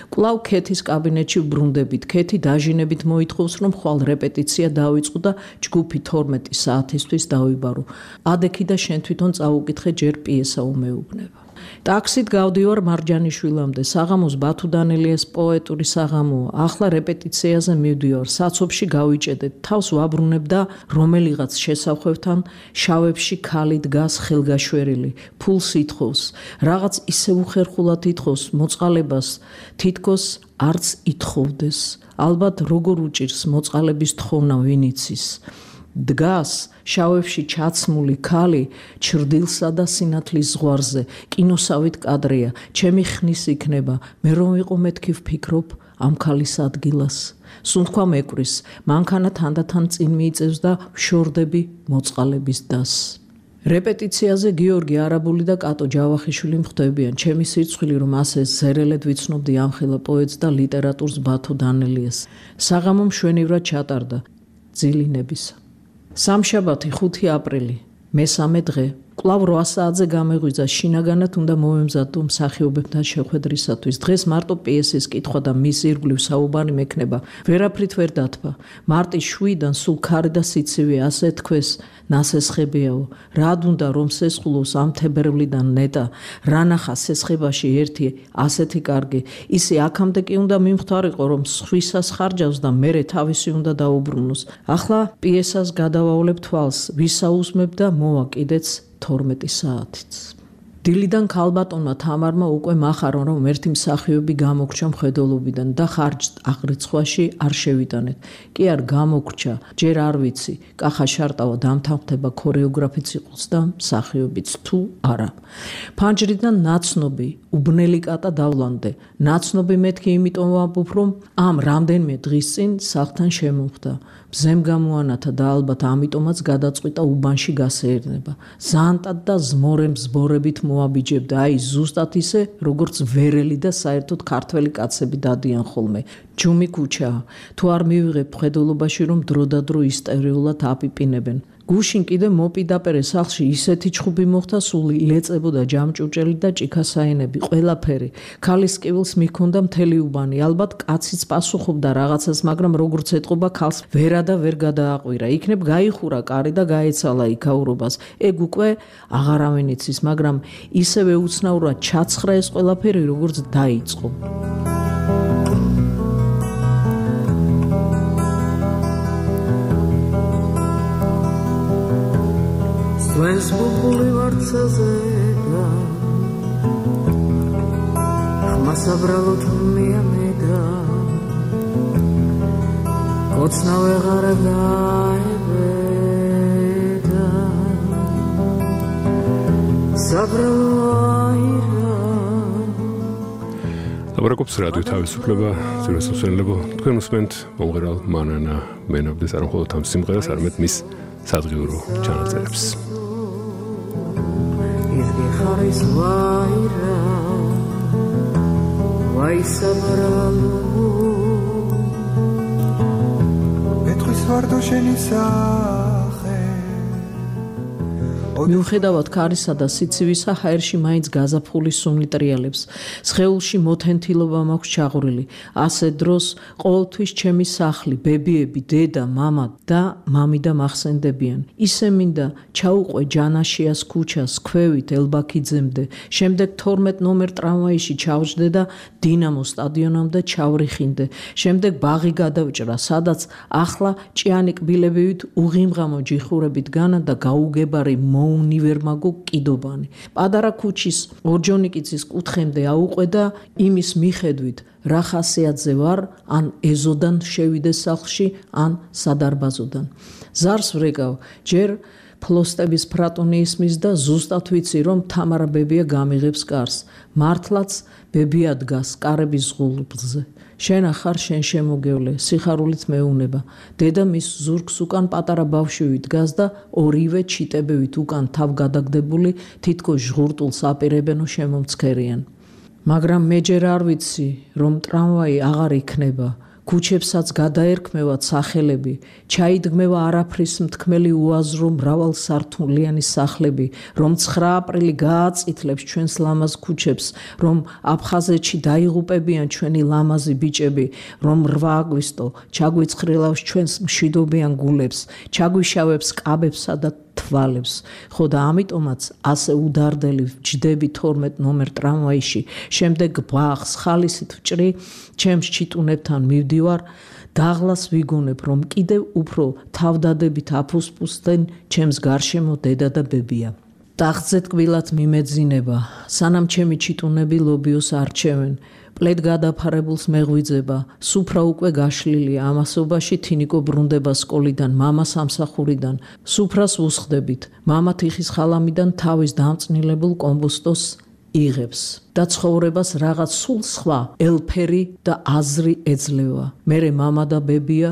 Speaker 3: კვლავ ქეთის კაბინეტში ვბრუნდებით. ქეთი დაჟინებით მოითხოვს, რომ ხვალ რეპეტიცია დავიწყო და ჯგუფი თორმეტი საათისთვის დავიბარო. ადექი და შენ თვითონ წაუკითხე, ჯერ პიესა უმეუბნება. ტაქსით გავდივარ მარჯანიშვილამდე. საღამოს ბათუ დანელიას პოეტური საღამოა. ახლა რეპეტიციაზე მივდივარ. საცობში გავიჭედეთ. თავს ვაბრუნებ და რომელიღაც შესახვევთან შავებში ქალი დგას ხელგაშვერილი. ფულს ითხოვს. რაღაც ისე უხერხულად ითხოვს მოწყალებას, თითქოს არც ითხოვდეს. ალბათ როგორ უჭირს მოწყალების თხოვნა ვინ იცის. დგას შავებში ჩაცმული ქალი ჩრდილსა და სინათლის ზღვარზე. კინოსავით კადრია. ჩემი ხნის იქნება. მე რომ ვიყო მეთქი ვფიქრობ ამ ქალის ადგილას. სუნთქვა მეკვრის. მანქანა თანდათან წინ მიიწევს და ვშორდები მოწყალების დასს. რეპეტიციაზე გიორგი არაბული და კატო ჯავახიშვილი მხვდებიან. ჩემი სირცხვილი რომ ასე ზერელედ ვიცნობდი ამხელა პოეტს და ლიტერატურს ბათუ დანელიას. საღამო მშვენივრად ჩატარდა ძილინებისა. სამშაბათი ხუთი აპრილი, მესამე დღე. კვლავ რვა საათზე გამეღვიძა, შინაგანად უნდა მოვემზადო მსახიობებთან შეხვედრისათვის. დღეს მარტო პიესის კითხვა და მის ირგვლივ საუბარი მექნება. ვერაფრით ვერ დათვა. მარტის შვიდან სულ ქარი და სიცივე, ასე თქვეს, ნასესხებიაო. რად უნდა რომ სესხულოს ამ თებერვლიდან ნეტა, რა ნახა სესხებაში ერთი ასეთი კარგი. ისე აქამდე კი უნდა მიმხდარიყო, რომ სხვისას ხარჯავს და მერე თავისი უნდა დაუბრუნოს. ახლა პიესას გადავავლებ თვალს, ვისაუზმებ და მოვა კიდეც თორმეტი საათიც. დილიდან ქალბატონმა თამარმა უკვე მახარონ, რომ ერთი მსახიობი გამოგრჩა მხედველობიდან და ხარჯს აღრიცხვაში არ შევიტანეთ. კი არ გამოგრჩა, ჯერ არ ვიცი, კახა შარტავა დამთანხმდება ქორეოგრაფიც იყოს და მსახიობიც თუ არა. ფანჯრიდან ნაცნობი, უბნელი კატა დავლანდე. ნაცნობი მეთქი იმიტომ ვამბობ, რომ ამ რამდენიმე დღის წინ სახლთან შემოხვდა. მზემ გამოანათა და ალბათ ამიტომაც გადაწყვიტა უბანში გასეერნება. ზანტად და ზმორემ ზბორებით მოაბიჯებდა, აი ზუსტად ისე, როგორც ვერელი და საერთოდ ქართველი კაცები დადიან ხოლმე. ჯუმი ქუჩაა. თუ არ მივიღებ მხედველობაში, რომ დროდადრო ისტორიულად აპიპინებენ. გუშინ კიდე მოპიდაპირე სახლში ისეთი ჩხუბი მოხდა, სული ილეწებოდა ჯამჭუჭელი და ჭიქასაენები, ყველაფერი. ქალის კივილს მიჰქონდა მთელი უბანი. ალბათ კაციც პასუხობდა რაღაცას, მაგრამ როგორც ეტყობა, ქალს ვერა და ვერ გადააყვირა. იქნებ გაიხურა კარი და გაეცალა იქაურობას. ეგ უკვე აღარავინ იცის, მაგრამ ისევე უცნაურად ჩაცხრა ეს ყველაფერი, როგორც დაიწყო.
Speaker 15: Svens bukuli varcaze da Hma sabralo tmijane da Kocna vegara gaebe da
Speaker 2: ლაპარაკობს რადიო თავისუფლება, ძიროსასვენებო, თქვენ უსმენთ მომღერალ მანანა მენაბდეს არ მხოლოდ ამ სიმღერას, არამედ მის სადღიურო ჩანაწერებს.
Speaker 15: Izgi kharis vaira Vaisavralu Petris vardo shenisa
Speaker 3: მიუხედავად ქარისა და სიცივისა, ჰაერში მაინც გაზაფხული სუნი ტრიალებს. სხეულში მოთენთილობა მაქვს ჩაღვრილი. ასე დროს ყოველთვის ჩემი სახლი, ბებიები, დედა, მამა და მამიდა მახსენდებიან. ისე მინდა ჩაუყვე ჯანაშიას ქუჩას, ქვევით ელბაქიძემდე. შემდეგ თორმეტ ნომერ ტრამვაიში ჩავჯდე და დინამო სტადიონამდე ჩავრიხინდე. შემდეგ ბაღი გადავჭრა, სადაც ახლა ჭიანი კბილებივით უღიმღამო ჯიხურებით განა და გაუგებარი უნივერმაგო კიდობანი. პადარა ქუჩის ორჯონიკიცის კუთხემდე აუყვე და იმის მიხედვით რა ხასიათზე ვარ, ან ეზოდან შევიდე სახლში, ან სადარბაზოდან. ზარს ვრეკავ, ჯერ ფლოსტების ფრატონი ისმის და ზუსტად ვიცი, რომ თამარა ბებია გამიღებს კარს. მართლაც ბებია დგას კარების ღულბზე. შენ ახარ შენ შემოგევლე, სიხარულით მეუნება. დედა მის ზურგს უკან პატარა ბავშვი დგას და ორივე ჩიტებივით უკან თავ გადაგდებული თითქოს ჟღურტულს აპირებენო შემომცქერიან. მაგრამ მე ჯერ არ ვიცი, რომ ტრამვაი აღარ იქნება. ქუჩებსაც გადაერქმევათ სახელები, ჩაიდგმევა არაფრის მთქმელი უაზრო მრავალსართულიანი სახლები, რომ ცხრა აპრილი გააწითლებს ჩვენს ლამაზ ქუჩებს, რომ აფხაზეთში დაიღუპებიან ჩვენი ლამაზი ბიჭები, რომ რვა აგვისტო ჩაგვიცხრილავს ჩვენს მშვიდობიან გულებს, ჩაგვიშავებს კაბებსა და თვალებს. ხო და ამიტომაც ასე უდარდელი ვჯდები თორმეტ ნომერ ტრამვაიში, შემდეგ ბაღს ხალისით ვჭრი, ჩემს ჩიტუნებთან მივდივარ, დაღლას ვიგონებ, რომ კიდევ უფრო თავდადებით აფუსფუსდნენ ჩემს გარშემო დედა და ბებია. ტახტზე ტკბილად მიმეძინება, სანამ ჩემი ჩიტუნები ლობიოს არჩევენ. პლედ გადაფარებულს მეღვიძება, სუფრა უკვე გაშლილია, ამასობაში თინიკო ბრუნდება სკოლიდან, მამა სამსახურიდან. სუფრას უსხდებით, მამა თიხის ხალამიდან თავის დამწნილებულ კომბოსტოს იღებს და ცხოვრებას რაღაც სულ სხვა ელფერი და აზრი ეძლევა. მერე მამა და ბებია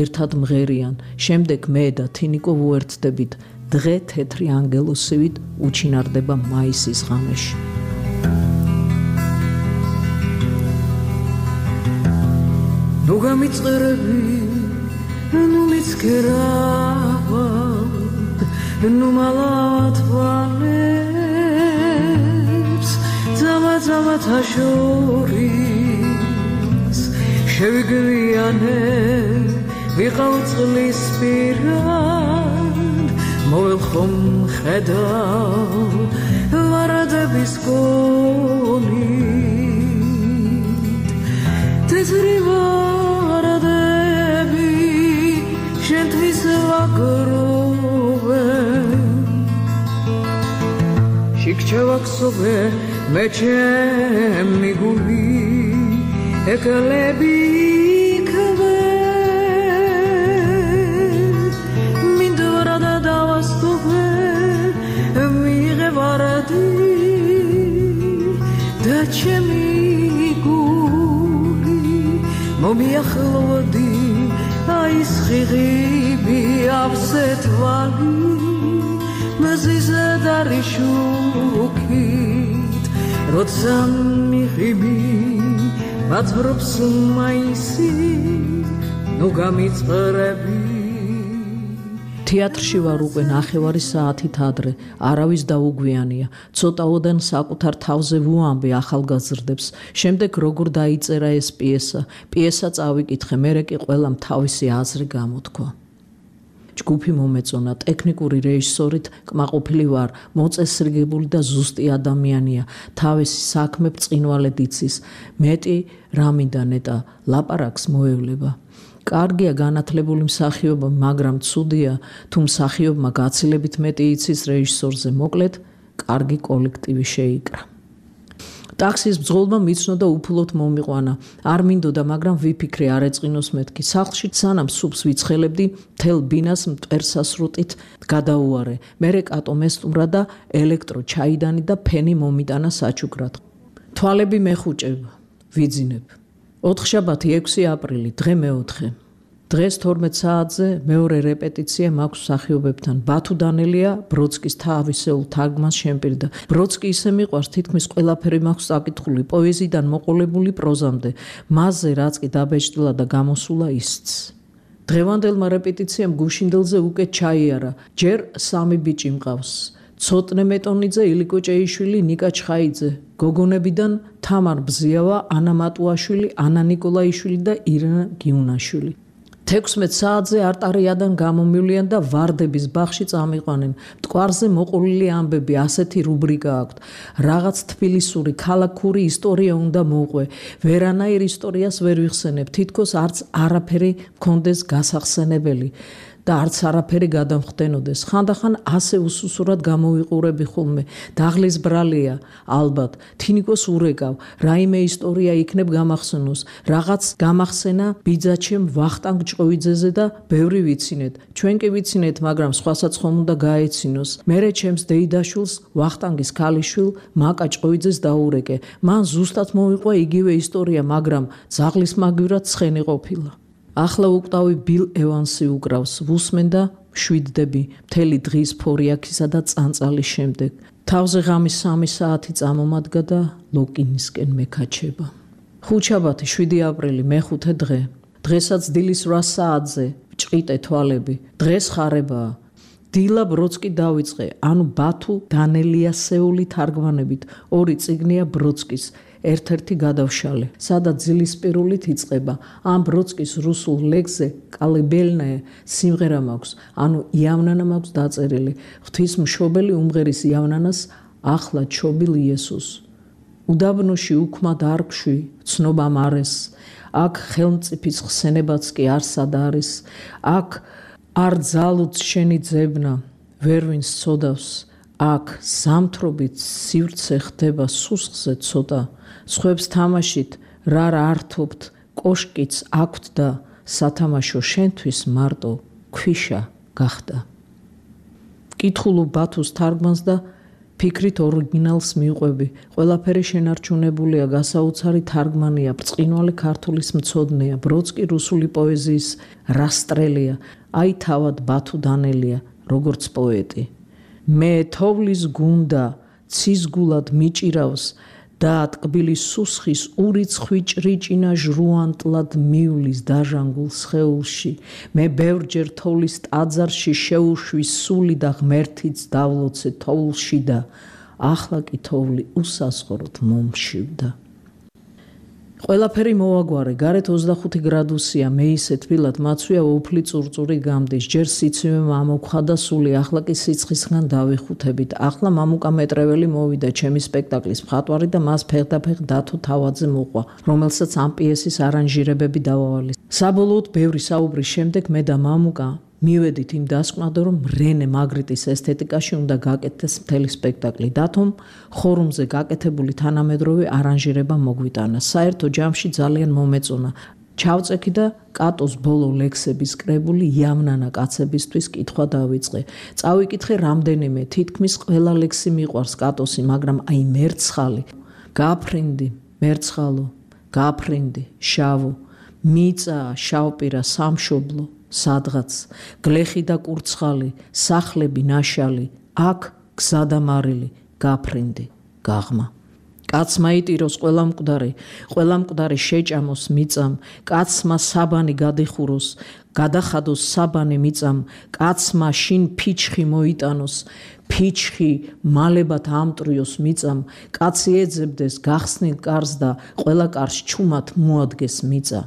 Speaker 3: ერთად მღერიან, შემდეგ მე და თინიკო ვუერთდებით, დღე თეთრი ანგელოსივით უჩინარდება მაისის ღამეში.
Speaker 15: ნუ გამიწყერები, ნუ მიცქერავად, ნუ მალავათვალებს, ძამა-ძამა თაშორის, შევიგვიანე, ვიყავ წყლის პირად, მოველხომ ხედავ, ვარადების გონით, თეთრი ვარადები, შენთვის ვაგროვენ, შიქჩევა ქსოვე, მე ჩემი გული, ეკალები იქվე, მინდვრა და დავასტოვე, მიიღე ვარადი და ჩემი გული, მომიახლოვდი, აი სხიღიბი ავზე თვალი, მზიზე დარიშუქით, როცა მიღიმი, მაცხრობს მაისი, ნუ გამიწყრები.
Speaker 3: თეატრში ვარ უკვე ნახევარი საათით ადრე, არავის დაუგვიანია, ცოტაოდან საკუთარ თავზე ვუამბე ახალგაზრდებს, შემდეგ როგორ დაიწერა ეს პიესა, პიესა წავიკითხე, მერე კი ყველამ თავისი აზრი გამოთქვა. ჯგუფი მომეწონა, ტექნიკური რეჟისორით კმაყოფილი ვარ, მოწესრიგებული და ზუსტი ადამიანია, თავისი საქმე ბრწყინვალედ იცის, მეტი რამინდა ნეტა ლაპარაკს მოევლება. კარგია განათლებული მსახიობი, მაგრამ ცუდია, თუ მსახიობმა გაცილებით მეტი იცის რეჟისორზე, მოკლედ, კარგი კოლექტივი შეიკრა. ტაქსის ბრძოლმა მიცნოდა უფლოდ მომიყვანა. არ მინდოდა, მაგრამ ვიფიქრე არ ეწყინოს მეთქი. სახლში სანამ სუპს ვიცხელებდი, მთელ ბინას მტვერსასრუტით გადაუარე. მერე კატო მესტუმრა და ელექტრო ჩაიდანი და ფენი მომიტანა საჩუქრად. თვალები მეხუჭებ, ვიძინებ. ოთხშაბათი ექვსი აპრილი, დღე მეოთხე. დღეს თორმეტ საათზე მეორე რეპეტიცია მაქვს მსახიობებთან. ბათუ დანელია ბროდსკის თავისეულ თარგმანს შემპირდა. ბროდსკი ისე მიყვარს, თითქმის ყველაფერი მაქვს წაკითხული, პოეზიიდან მოყოლებული პროზამდე. მასზე რაც კი დაბეჭდილა და გამოსულა ისიც. დღევანდელმა რეპეტიციამ გუშინდელზე უკეთ ჩაიარა. ჯერ სამი ბიჭი მყავს. ცოტნე მეტონიძე, ილიკო ჭეიშვილი, ნიკა ჩხაიძე. გოგონებიდან თამარ ბზიავა, ანა მატუაშვილი, ანა ნიკოლაიშვილი და ირანა გიუნაშვილი. თექვსმეტ საათზე არტარიადან გამომივლიან და ვარდების ბაღში წამიყვანენ. მტკვარზე მოყოლილი ამბები, ასეთი რუბრიკა აქვთ. რაღაც თბილისური ქალაქური ისტორია უნდა მოყვე. ვერანაირ ისტორიას ვერ ვიხსენებ, თითქოს არც არაფერი მქონდეს გასახსენებელი და არც არაფერი გადამხდენოდეს. ხანდახან ასე უსუსურად გამოვიყურები ხოლმე. დაღლის ბრალია, ალბათ, თინიკოს ურეკავ, რაიმე ისტორია იქნებ გამახსენოს. რაღაც გამახსენა ბიძაჩემ ვახტანგ ჭყოვიძეზე და ბევრი ვიცინეთ. ჩვენ კი ვიცინეთ, მაგრამ სხვასაც ხომ უნდა გაეცინოს. მერე ჩემს დეიდაშვილს, ვახტანგის ქალიშვილ მაკა ჭყოვიძეს დაურეკე. მან ზუსტად მოვიყვა იგივე ისტორია, მაგრამ ძაღლის მაგვირად ცხენი ყოფილა. ახლა უკტავი ბილ ევანსი უკრავს, ვუსმენ და შვიდდები მთელი დღის ფორიაქისა და წანწალის შემდეგ. თავზე ღამის სამი საათი წამომადგა და ლოკინისკენ მეკაჩება. ხუთშაბათი შვიდი აპრილი მეხუთე დღე. დღესაც დილის რვა საათზე ჭყიტე თვალები. დღეს ხარებაა. დილა ბროდსკი დავიწყე, ანუ ბათუ დანელიასეული თარგმანებით. ორი წიგნია ბროდსკის. ერთ-ერთი გადავშალე, სადაც ძილისპირულით იწყება. ამ ბროდსკის რუსულ ლექსზე კალიბელნაე სიმღერა მაქვს, ანუ იავნანა მაქვს დაწერილი. ღვთისმშობელი უმღერის იავნანას ახლა ჩობილ იესოს. უდაბნოში უქმა დარგში ცნობა მარეს. აქ ხელმწიფის ხსენებაც კი არსად არის. აქ არ ძალუც შენი ძებნა, ვერ ვინს ცოდავს. აქ ზამთრობით სივრცე ხდება სუსხზე ცოტა. სხვებს თამაშით რა რა ართობთ, კოშკიც აქვთ და სათამაშო შენთვის მარტო ქვიშა გახდა. კითხულობ ბათუს თარგმანს და ფიქრით ორიგინალს მიყვები. ყველაფერი შენარჩუნებულია, გასაოცარი თარგმანია, ბრწყინვალე ქართულის მცოდნეა, ბროდსკი რუსული პოეზიის რასტრელია, აი თავად ბათუ დანელია, როგორც პოეტი. მე თოვლის გუნდა ცისგულად მიჭირავს და ტკბილის სუსხის ურიცხვი ჭრიჭინა ჟრუანტლად მიulis დაჟანგულ სხეულში. მე ბევრჯერ თოვლის ტაძარში შეუშვი სული და ღმერთიც დავლოცე თოვლში და ახლა კი თოვლი უსასხოროდ მომშივდა. ყველაფერი მოვაგვარე, გარეთ ოცდახუთი გრადუსია, მე ისე თბილად მაცვია უფლი წურწური გამდის, ჯერ სიცივე მამოქვა და სული, ახლა კი სიცხისგან დავიხუთებით. ახლა მამუკა მეტრეველი მოვიდა ჩემი სპექტაკლის მხატვარი და მას ფეხდაფეხ დათო თავაძე მოყვა, რომელსაც ამ პიესის არანჟირებები დავავალე. საბოლოოდ ბევრი საუბრის შემდეგ მე და მამუკა მივედით იმ დასკვნად, რომ რენე მაგრიტის ესთეტიკაში უნდა გაკეთდეს მთელი სპექტაკლი. დათომ ხორუმზე გაკეთებული თანამედროვე არანჟირება მოგვიტანა. საერთო ჯამში ძალიან მომეწონა. ჩავწექი და კატოს ბოლო ლექსების კრებული იავნანა კაცებისთვის კითხვა დავიწყე. წავიკითხე რამდენიმე, თითქმის ყველა ლექსი მიყვარს კატოსი, მაგრამ აი მერცხალი, გაფრინდი, მერცხალო, გაფრინდი, შავო, მიწა, შავპირა, სამშობლო, სადღაც, გლეხი და კურცხალი, სახლები ნაშალი, აქ გზადამარილი, გაფრინდი, გაღმა. კაცმა იტიროს ყველა მკვდარი, ყველა მკვდარი შეჭამოს მიწამ, კაცმა საბანი გადიხუროს, გადახადოს საბანი მიწამ, კაცმა შინ ფიჩხი მოიტანოს, ფიჩხი მალებად ამტრიოს მიწამ, კაცი ეძებდეს გახსნილ კარს და ყველა კარს ჩუმად მოადგეს მიწა.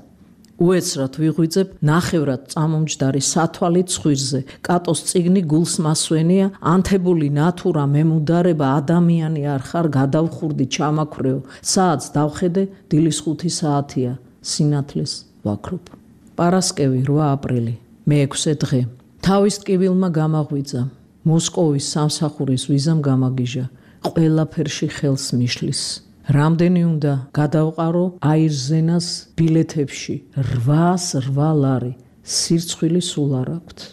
Speaker 3: უეცრად ვიღვიძებ ნახევრად წამომჯდარი სათვალით ცხვირზე. კატოს წიგნი გულს მასვენია, ანთებული ნათურა მემუდარება ადამიანი არ ხარ, გადავხურდი ჩამაქრეო. საათს დავხედე, დილის ხუთი საათია, სინათლეს ვაქრობ. პარასკევი რვა აპრილი, მეექვსე დღე. თავის ტკივილმა გამაღვიძა, მოსკოვის სამსახურის ვიზამ გამაგიჟა, ყველაფერში ხელს მიშლის. რამდენი უნდა გადავყარო აირზენას ბილეთებში რვას რვა ლარი სირცხვილი სულ არ აქვთ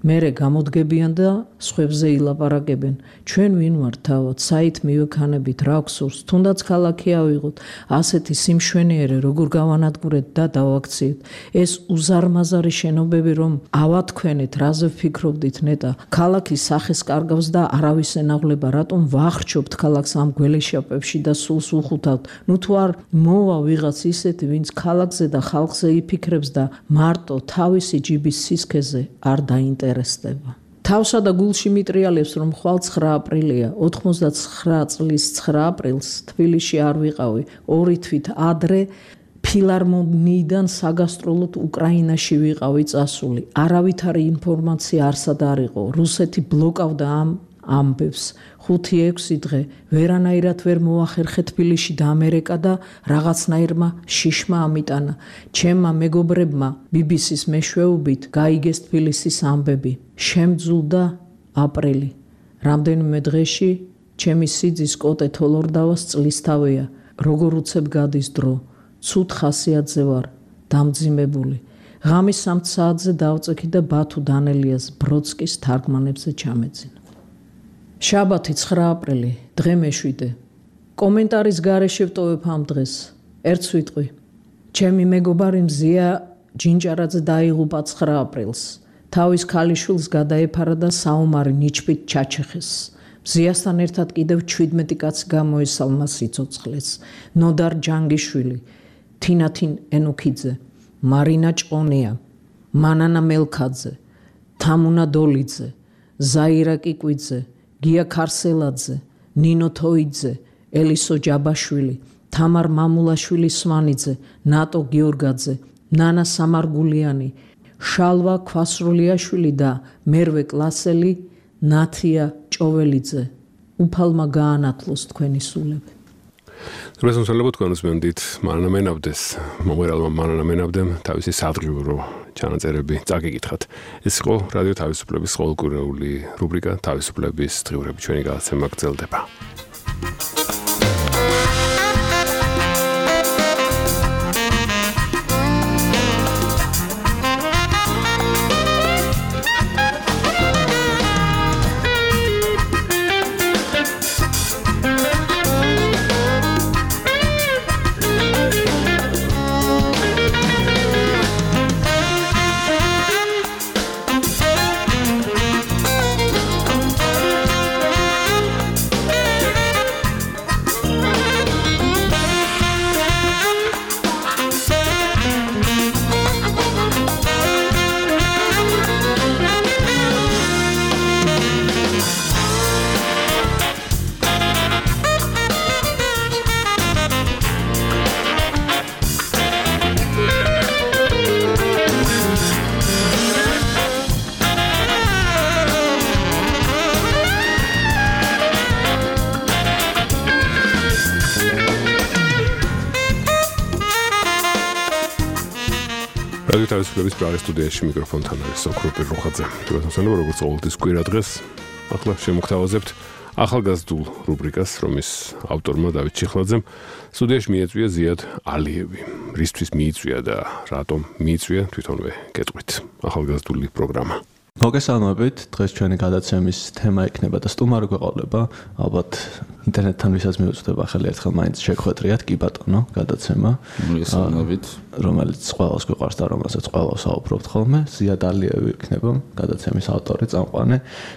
Speaker 3: მერე გამოდგებიან და სხვებზე ილაპარაკებენ ჩვენ ვინ ვართ თავად საით მივექანებით რა გსურს თუნდაც ქალაქი ავიღოთ ასეთი სიმშვენიერე როგორ გავანადგურეთ და დავაქციეთ ეს უზარმაზარი შენობები რომ ავათქვენეთ რაზე ვფიქრობდით ნეტა ქალაქის სახეს კარგავს და არავის ენაღლება რატომ ვახრჩობთ ქალაქს ამ გველეშაპებში და სულს უხუთავთ ნუ თუ არ მოვა ვიღაც ისეთი ვინც ქალაქზე და ხალხზე იფიქრებს და მარტო თავისი ჯიბის სისქეზე არ დაინტერესდება თავსა და გულში მიტრიალებს რომ ხვალ ცხრა აპრილია ოთხმოცდაცხრა წლის ცხრა აპრილს თბილისში არ ვიყავი ორი თვით ადრე ფილარმონიიდან საგასტროლოდ უკრაინაში ვიყავი წასული არავითარი ინფორმაცია არსად არ იყო რუსეთი ბლოკავდა ამ ამბებს ხუთი ექვსი დღე ვერანაირად ვერ მოახერხე თბილისში და ამერიკა და რაღაცნაირმა შიშმა ამიტანა ჩემმა მეგობრებმა ბი ბი სის მეშვეობით გაიგეს თბილისის ამბები შემძულდა აპრილი რამდენიმე დღეში ჩემი სიძის კოტე თოლორდავას წლისთავია როგორ უცებ გადის დრო ცუდ ხასიათზე ვარ დამძიმებული ღამის სამ საათზე დავწექი და ბათუ დანელიას ბროდსკის თარგმანებზე ჩამეძინა შაბათი ცხრა აპრილი დღე მეშვიდე კომენტარის გარეშე ვტოვებ ამ დღეს ერთს ვიტყვი ჩემი მეგობარი მზია ჯინჯარაძე დაიღუპა ცხრა აპრილს თავის ქალიშვილს გადაეფარა და საომარი ნიჩბით ჩაჩეხეს მზიასთან ერთად კიდევ ჩვიდმეტი კაცი გამოესალმა სიცოცხლეს ნოდარ ჯანგიშვილი თინათინ ენუქიძე მარინა ჭყონია მანანა მელქაძე თამუნა დოლიძე ზაირა კიკვიძე გია ქარსელაძე, ნინო თოიძე, ელისო ჯაბაშვილი, თამარ მამულაშვილი სვანიძე, ნატო გიორგაძე, ნანა სამარგულიანი, შალვა ქვასრულიაშვილი და მერვე კლასელი, ნათია ჭოველიძე. უფალმა გაანათლოს თქვენი სულები.
Speaker 2: Რუსულ სულებს თქვენ უსმენდით მანანა მენავდეს, მომღერალმა მანანა მენავდემ თავისი სადღიურო ჩანაწერები წაგიკითხათ. ეს იყო რადიო თავისუფლების ყოველკვირეული რუბრიკა თავისუფლების დღიურები ჩვენი გადაცემა გრძელდება. რადიო თავისუფლების პრაღის სტუდიაში მიკროფონთან არის სოკროპი რუხაძე. თვითონ როგორც ყოველთვის კვირა დღეს ახლა შემოგთავაზებთ ახალგაზრდულ რუბრიკას, რომის ავტორმა დავით ჩიხლაძემ სტუდიაში მიეწვია ზიად ალიევი. რისთვის მიიწვია და რატომ მიიწვია თვითონვე გეტყვით. ახალგაზრდული პროგრამა.
Speaker 16: მოგესალმებით, დღეს ჩვენი გადაცემის თემა იქნება და სტუმარი გვეყოლება, ალბათ ინტერნეტთან ვისაც მიუწვდება ახალი ერთხელ მაინც შეგხვედრიათ, კი ბატონო, გადაცემა.
Speaker 17: მოგესალმებით,
Speaker 16: რომელიც ყველას გვიყვარს და რომელსაც ყველას საუბრობთ ხოლმე, ზიად ალიევი იქნება გადაცემის ავტორი, წამყვანი.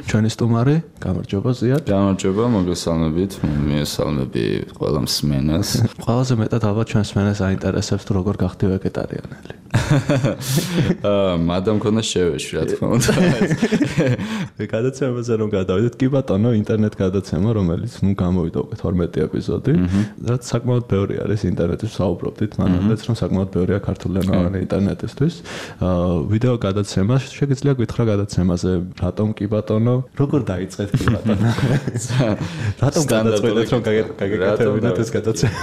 Speaker 16: ჩვენი სტუმარი, გამარჯობა ზიად.
Speaker 17: გამარჯობა, მოგესალმებით, მიესალმები ყველა მსმენელს.
Speaker 16: ყველაზე მეტად ალბათ ჩვენ მსმენელს აინტერესებს თუ როგორ გახდი ვეგეტარიანელი.
Speaker 17: აა, მადამ ქონდა შევეში, რა თქმა უნდა.
Speaker 16: გადაცემაზე რომ გადავიდეთ, კი ბატონო, ინტერნეტ გადაცემა, რომელიც ნუ გამოვიდა უკვე თორმეტი ეპიზოდი, რაც საკმაოდ ბევრი არის ინტერნეტის საუბრობდით, მანამდეც რომ საკმაოდ ბევრია ქართულენოვანი ინტერნეტისთვის. ვიდეო გადაცემა, შეგიძლია გითხრა გადაცემაზე, რატომ კი ბატონო, როგორ დაიწყეთ კი ბატონო? რატომ გადაწყვეტეთ რომ გაგეკეთებინათ ეს გადაცემა?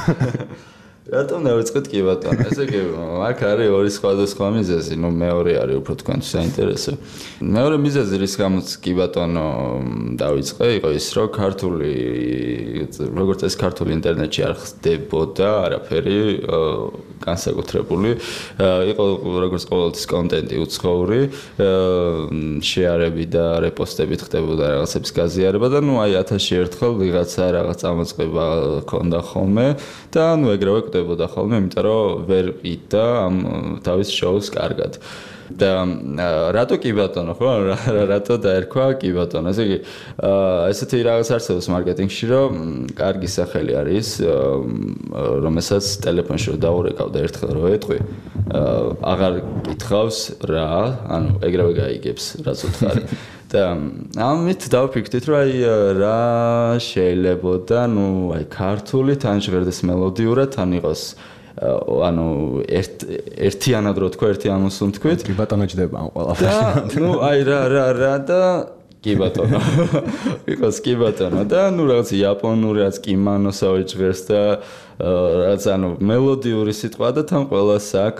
Speaker 17: რატომ დავიწყეთ კი ბატონო? ესე იგი, აქ არის ორი სხვადასხვა მიზეზი, ნუ მეორე არის უფრო თქვენთვის საინტერესო. მეორე მიზეზი რის გამოც კი ბატონო დავიწყე, იყო ის, რომ ქართული როგორც ეს ქართული ინტერნეტში არ ხდებოდა არაფერი განსაკუთრებული. იყო როგორც ყოველთვის კონტენტი უცხოური, შეარები და რეპოსტებით ხდებოდა რაღაცების გაზიარება და ნუ აი ათასში ერთხელ ვიღაცა რაღაც წამოწყება ქონდა ხოლმე და ნუ ეგრევე კვდებოდა ხოლმე, იმიტომ რომ ვერ ყიდდა ამ თავის შოუს კარგად. და რატო კი ბატონო ხო? რატო დაერქვა კი ბატონო? ესე იგი, ესეთი რაღაც არსებობს მარკეტინგში, რომ კარგი სახელი არის, რომელსაც ტელეფონში რომ დაურეკავ და ერთხელ რო ეტყვი, აღარ კითხავს რა, ანუ ეგრევე გაიგებს, რაც უთხარი. და ამით დავფიქრდით, რომ აი რა შეიძლებოდა, ნუ აი ქართული თან ჟღერდეს მელოდიურად, თან იყოს ანუ ერთ ერთიანად რო თქვა, ერთი ამოსულ თქვით.
Speaker 16: კი ბატონო ჯდება ამ ყველაფერში.
Speaker 17: და ნუ აი რა რა რა და კი ბატონო. იყოს კი ბატონო და ნუ რაღაც იაპონური რაც კიმანოსავე ჟღერს და რაც ანუ მელოდიური სიტყვა და თან ყველას აქ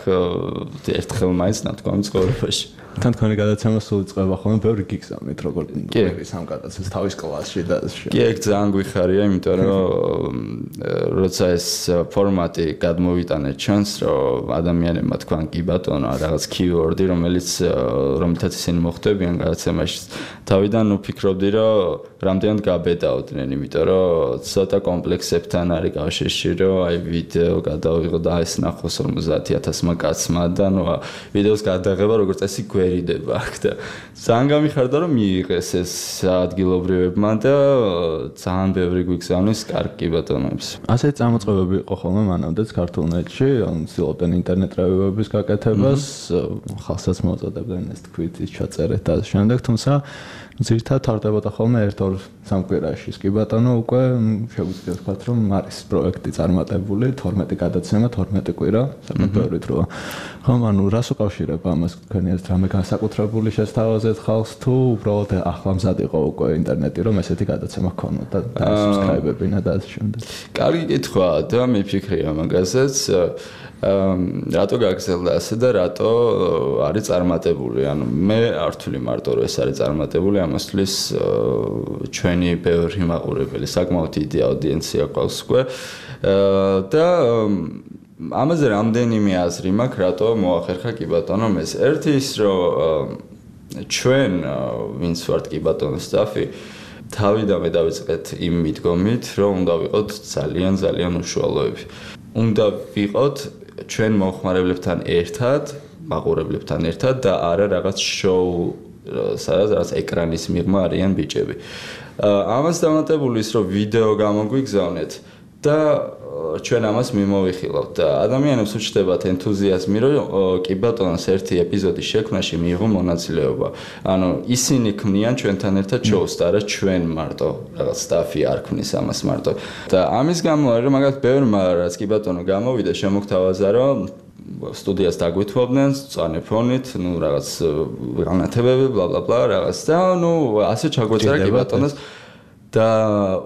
Speaker 17: ერთხელ მაინც ნათქვამი ცხოვრებაში.
Speaker 16: თან თქვენი გადაცემა სულ იწყება ხოლმე ბევრი გიგზავნით როგორ გიგებს ამ გადაცემას თავის კლასში და
Speaker 17: კი ეგ ძალიან გვიხარია, იმიტომ რომ როცა ეს ფორმატი გადმოვიტანეთ ჩვენს, რომ ადამიანებმა თქვან კი ბატონო რაღაც keyword-ი, რომელიც რომელთაც ისინი მოხვდებიან გადაცემაში, თავიდან ვფიქრობდი, რომ რამდენად გაბედაოდნენ, იმიტომ რომ ცოტა კომპლექსებთან არის კავშირში, რომ აი ვიდეო გადავიღო და ეს ნახოს ორმოცდაათი ათასმა კაცმა და ნუ ვიდეოს გადაღება როგორც წესი გვერიდება აქ და ძალიან გამიხარდა რომ მიიღეს ეს ადგილობრივებმა და ძალიან ბევრი გვიგზავნის კარგი ბატონებს.
Speaker 16: ასე წამოწყებები იყო ხოლმე მანამდეც ქართულ ნეტში, ანუ ცდილობდნენ ინტერნეტ რევიუების გაკეთებას, ხალხსაც მოუწოდებდნენ ეს თქვით ის ჩაწერეთ და შემდეგ, თუმცა ზირთად თარდებოდა ხოლმე ერთ-ორ სამკვირაში. კი ბატონო უკვე შეგვიძლია ვთქვათ, რომ არის პროექტი წარმატებული, თორმეტი გადაცემა, თორმეტი კვირა, საკუთრებით როა. ხომ ანუ რას უკავშირება ამას თქვენი ეს რამე განსაკუთრებული შესთავაზეთ ხალხს თუ უბრალოდ ახლა მზად იყო უკვე ინტერნეტი, რომ ესეთი გადაცემა ქონოდა და subscribe-ებინა და ასე შემდეგ.
Speaker 17: კარგი კითხვა და მიფიქრია მაგაზეც. რატო გაგზელდა ასე და რატო არის წარმატებული? ანუ მე არ ვთვლი მარტო რომ ეს არის წარმატებული, ამასთვის ჩვენი ბევრი მაყურებელი, საკმაოდ დიდი აუდიენცია ყავს უკვე და ამაზე რამდენიმე აზრი მაქვს, რატო მოახერხა კი ბატონო ეს. ერთი ის რომ ჩვენ ვინც ვართ კი ბატონო სტაფი თავიდანვე დავიწყეთ იმ მიდგომით, რომ უნდა ვიყოთ ძალიან ძალიან უშუალოები. უნდა ვიყოთ ჩვენ მომხმარებლებთან ერთად, მაყურებლებთან ერთად და არა რაღაც შოუ, სადაც რაღაც ეკრანის მიღმა არიან ბიჭები. ამას დამატებული ის, რომ ვიდეო გამოგვიგზავნეთ და ჩვენ ამას მიმოვიხილავთ და ადამიანებს უჩნდებათ ენთუზიაზმი, რომ კი ბატონოს ერთი ეპიზოდის შექმნაში მიიღო მონაწილეობა. ანუ ისინი ქმნიან ჩვენთან ერთად შოუს და არა ჩვენ მარტო რაღაც სტაფი არ ქმნის ამას მარტო. და ამის გამო არის რომ მაგათ ბევრმა რაც კი ბატონო გამოვიდა შემოგთავაზა, რომ სტუდიას დაგვითმობდნენ სწორ ფონით, ნუ რაღაც განათებები, ბლა ბლა ბლა რაღაც და ნუ ასე ჩაგვეწერა კი ბატონოს და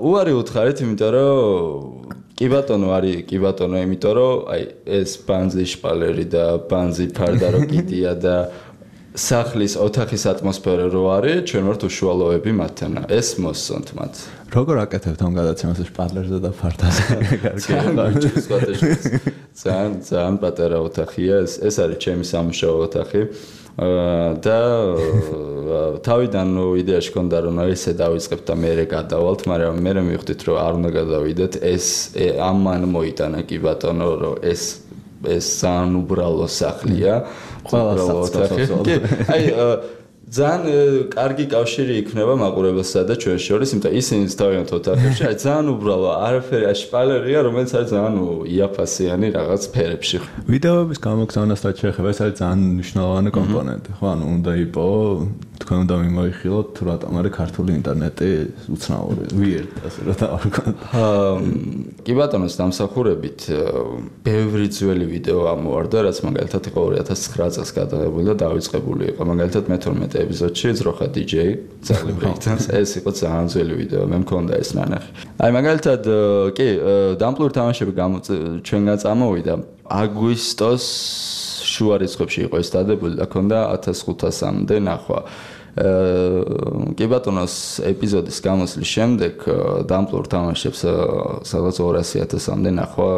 Speaker 17: უარი უთხარით, იმიტომ რომ კი ბატონო არის კი ბატონო, იმიტომ რომ აი ეს ბანზი შპალერი და ბანზი ფარდა რო კიდია და სახლის ოთახის ატმოსფერო რო არის, ჩვენ ვართ უშუალოები მათთან. ეს მოსწონთ მათ.
Speaker 16: როგორ აკეთებთ ამ გადაცემას შპალერზე და ფარდაზე? კარგი.
Speaker 17: ძალიან ძალიან პატარა ოთახია, ეს ეს არის ჩემი სამუშაო ოთახი. და თავიდან ნუ იდეაში ქონდა რომ ესე დავიწყებთ და მე გადავალთ, მაგრამ მე მივხვდით რომ არ უნდა გადავიდეთ, ეს ამან მოიტანა კი ბატონო რომ ეს ეს ძალიან უბრალო სახლია,
Speaker 16: ყველა ოთახი.
Speaker 17: აი ძალიან კარგი კავშირი იქნება მაყურებელსა და ჩვენ შორის, იმიტომ ისინი თავიანთ ოთახებში აი ძალიან უბრალო არაფერი შპალერია, რომელიც არის ძალიან იაფასიანი რაღაც ფერებში.
Speaker 16: ვიდეოების გამოგზავნას რაც შეეხება, ეს არის ძალიან მნიშვნელოვანი კომპონენტი, ხო? ანუ უნდა იყო თქვენ უნდა მიმოიხილოთ თუ რატომ არის ქართული ინტერნეტი უცნაური ვიერტ ასე რა დავარქვათ.
Speaker 17: კი ბატონოს დამსახურებით ბევრი ძველი ვიდეო ამოვარდა, რაც მაგალითად იყო ორი ათას ცხრა წელს გადაღებული და დავიწყებული იყო. მაგალითად მეთორმეტე ეპიზოდში ძროხა დიჯეი ძაღლი ბრეიქდანს, ეს იყო ძალიან ძველი ვიდეო, მე მქონდა ეს ნანახი. აი მაგალითად კი დამპლური თამაშები ჩვენგან წამოვიდა აგვისტოს შუა რიცხვებში იყო ეს დადებული და ქონდა ათას ხუთასამდე ნახვა. კი ბატონოს ეპიზოდის გამოსვლის შემდეგ დამპლურ თამაშებს სადღაც ორასი ათასამდე ნახვა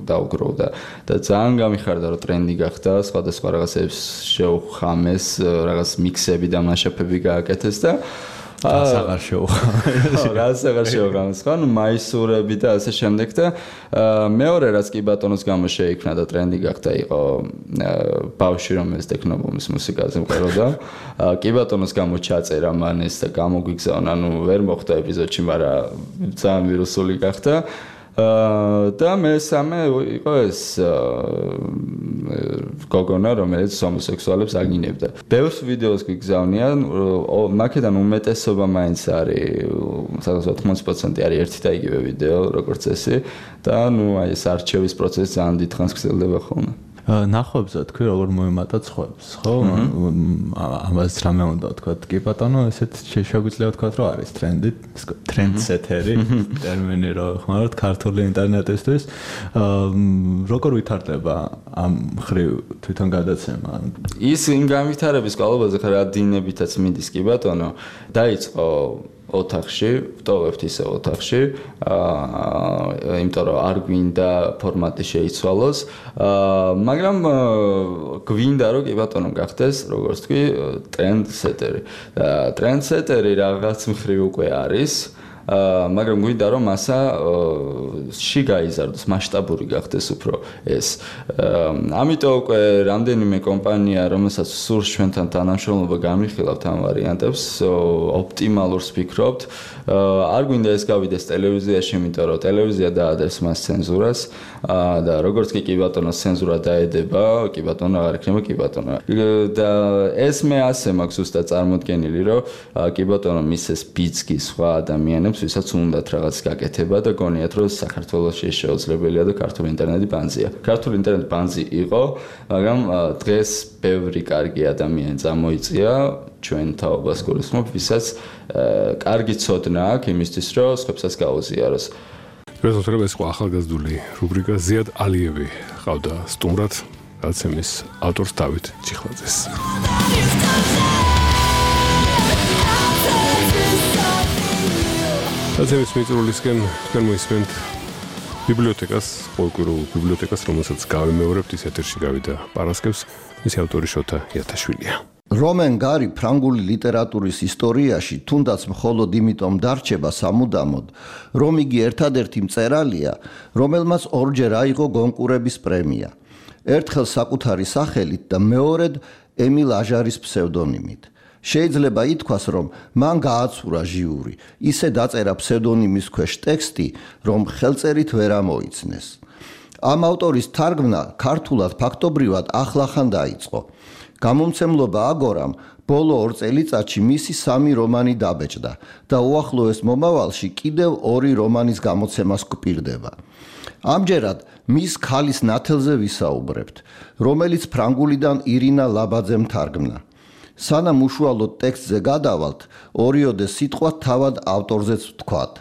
Speaker 17: დაუგროვდა და ძალიან გამიხარდა რომ ტრენდი გახდა, სხვადასხვა რაღაცებს შეუხამეს, რაღაც მიქსები და მასშტაბები გააკეთეს და
Speaker 16: აღარ შეუხამეს.
Speaker 17: რაღაც აღარ შეუხამეს, ხო, ნუ მაისურები და ასე შემდეგ და მეორე რაც კი ბატონოს გამო შეიქმნა და ტრენდი გახდა იყო ბავშვი რომელიც ტექნობუმის მუსიკაზე მღეროდა. კი ბატონოს გამო ჩაწერა მან ეს და გამოგვიგზავნა, ნუ ვერ მოხდა ეპიზოდში, მაგრამ ძალიან ვირუსული გახდა. და მესამე იყო ეს გოგონა, რომელიც ჰომოსექსუალებს აგინებდა. ბევრ ვიდეოს გვიგზავნია, მაქედან უმეტესობა მაინც არის, სადღაც ოთხმოცი პროცენტი არის ერთი და იგივე ვიდეო, როგორც წესი და ნუ აი ეს არჩევის პროცესი ძალიან დიდხანს გრძელდება ხოლმე.
Speaker 16: ნახვებზე თქვი როგორ მოემატა ცხოებს, ხო? ამას რამე უნდა ვთქვა? კი ბატონო, ესეთ შეგვიძლია ვთქვა, რომ არის ტრენდი, ტრენდსეტერი ტერმინი რო ხმარობთ ქართული ინტერნეტისთვის. როგორ ვითარდება ამ ხრივ თვითონ გადაცემა?
Speaker 17: ის იმ განვითარების კვალობაზე ხარ ადინებითაც მიდის კი ბატონო. დაიწყო ოთახში, ვტოვებთ ისე ოთახში, აა, იმიტომ რომ არ გვინდა ფორმატი შეიცვალოს, აა, მაგრამ გვინდა რომ კი ბატონო გახდეს, როგორც თქვი, ტრენდსეტერი. ტრენდსეტერი რაღაც მხრივ უკვე არის. აა მაგრამ გვინდა რომ მასა ში გაიზარდოს, მასშტაბური გახდეს უფრო ეს. ამიტომ უკვე რამდენიმე კომპანია, რომელსაც სურს ჩვენთან თანამშრომლობა განვიხილავთ ამ ვარიანტებს, ოპტიმალურს ვფიქრობთ. არ გვინდა ეს გავიდეს ტელევიზიაში, იმიტომ რომ ტელევიზია დაადებს მას ცენზურას და როგორც კი კი ბატონოს ცენზურა დაედება, კი ბატონო აღარ იქნება კი ბატონო. და ეს მე ასე მაქვს ზუსტად წარმოდგენილი, რომ კი ბატონო მისეს ბიძგი სხვა ადამიანებს ვისაც უნდათ რაღაც გაკეთება და გონიათ რომ საქართველოში შეუძლებელია და ქართული ინტერნეტი ბანზია. ქართული ინტერნეტი ბანზი იყო, მაგრამ დღეს ბევრი კარგი ადამიანი წამოიწია ჩვენ თაობას გულისხმობ, ვისაც კარგი ცოდნა აქვს იმისთვის, რომ სხვებსაც გაუზიაროს.
Speaker 2: რეზულტატები ეს ყო ახალგაზრდული რუბრიკა ზიად ალიევი ყავდა სტუმრად გაცემის ავტორს დავით ჩიხლაძეს. გაცემის მიწურულისკენ თქვენ მოისმენთ ბიბლიოთეკას, პოლკურულ ბიბლიოთეკას, რომელსაც გავიმეორებთ, ის ეთერში გავიდა პარასკევს, მისი ავტორი შოთა იათაშვილია.
Speaker 18: რომენ გარი ფრანგული ლიტერატურის ისტორიაში თუნდაც მხოლოდ იმიტომ დარჩება სამუდამოდ, რომ იგი ერთადერთი მწერალია, რომელმაც ორჯერ აიღო გონკურების პრემია. ერთხელ საკუთარი სახელით და მეორედ ემილ აჟარის ფსევდონიმით. შეიძლება ითქვას, რომ მან გააცურა ჟიური, ისე დაწერა ფსევდონიმის ქვეშ ტექსტი, რომ ხელწერით ვერ ამოიცნეს. ამ ავტორის თარგმნა ქართულად ფაქტობრივად ახლახან დაიწყო. გამომცემლობა აგორამ ბოლო ორ წელიწადში მისი სამი რომანი დაბეჭდა და უახლოეს მომავალში კიდევ ორი რომანის გამოცემას გვპირდება. ამჯერად მის ქალის ნათელზე ვისაუბრებთ, რომელიც ფრანგულიდან ირინა ლაბაძემ თარგმნა. სანამ უშუალოდ ტექსტზე გადავალთ, ორიოდე სიტყვა თავად ავტორზეც ვთქვათ.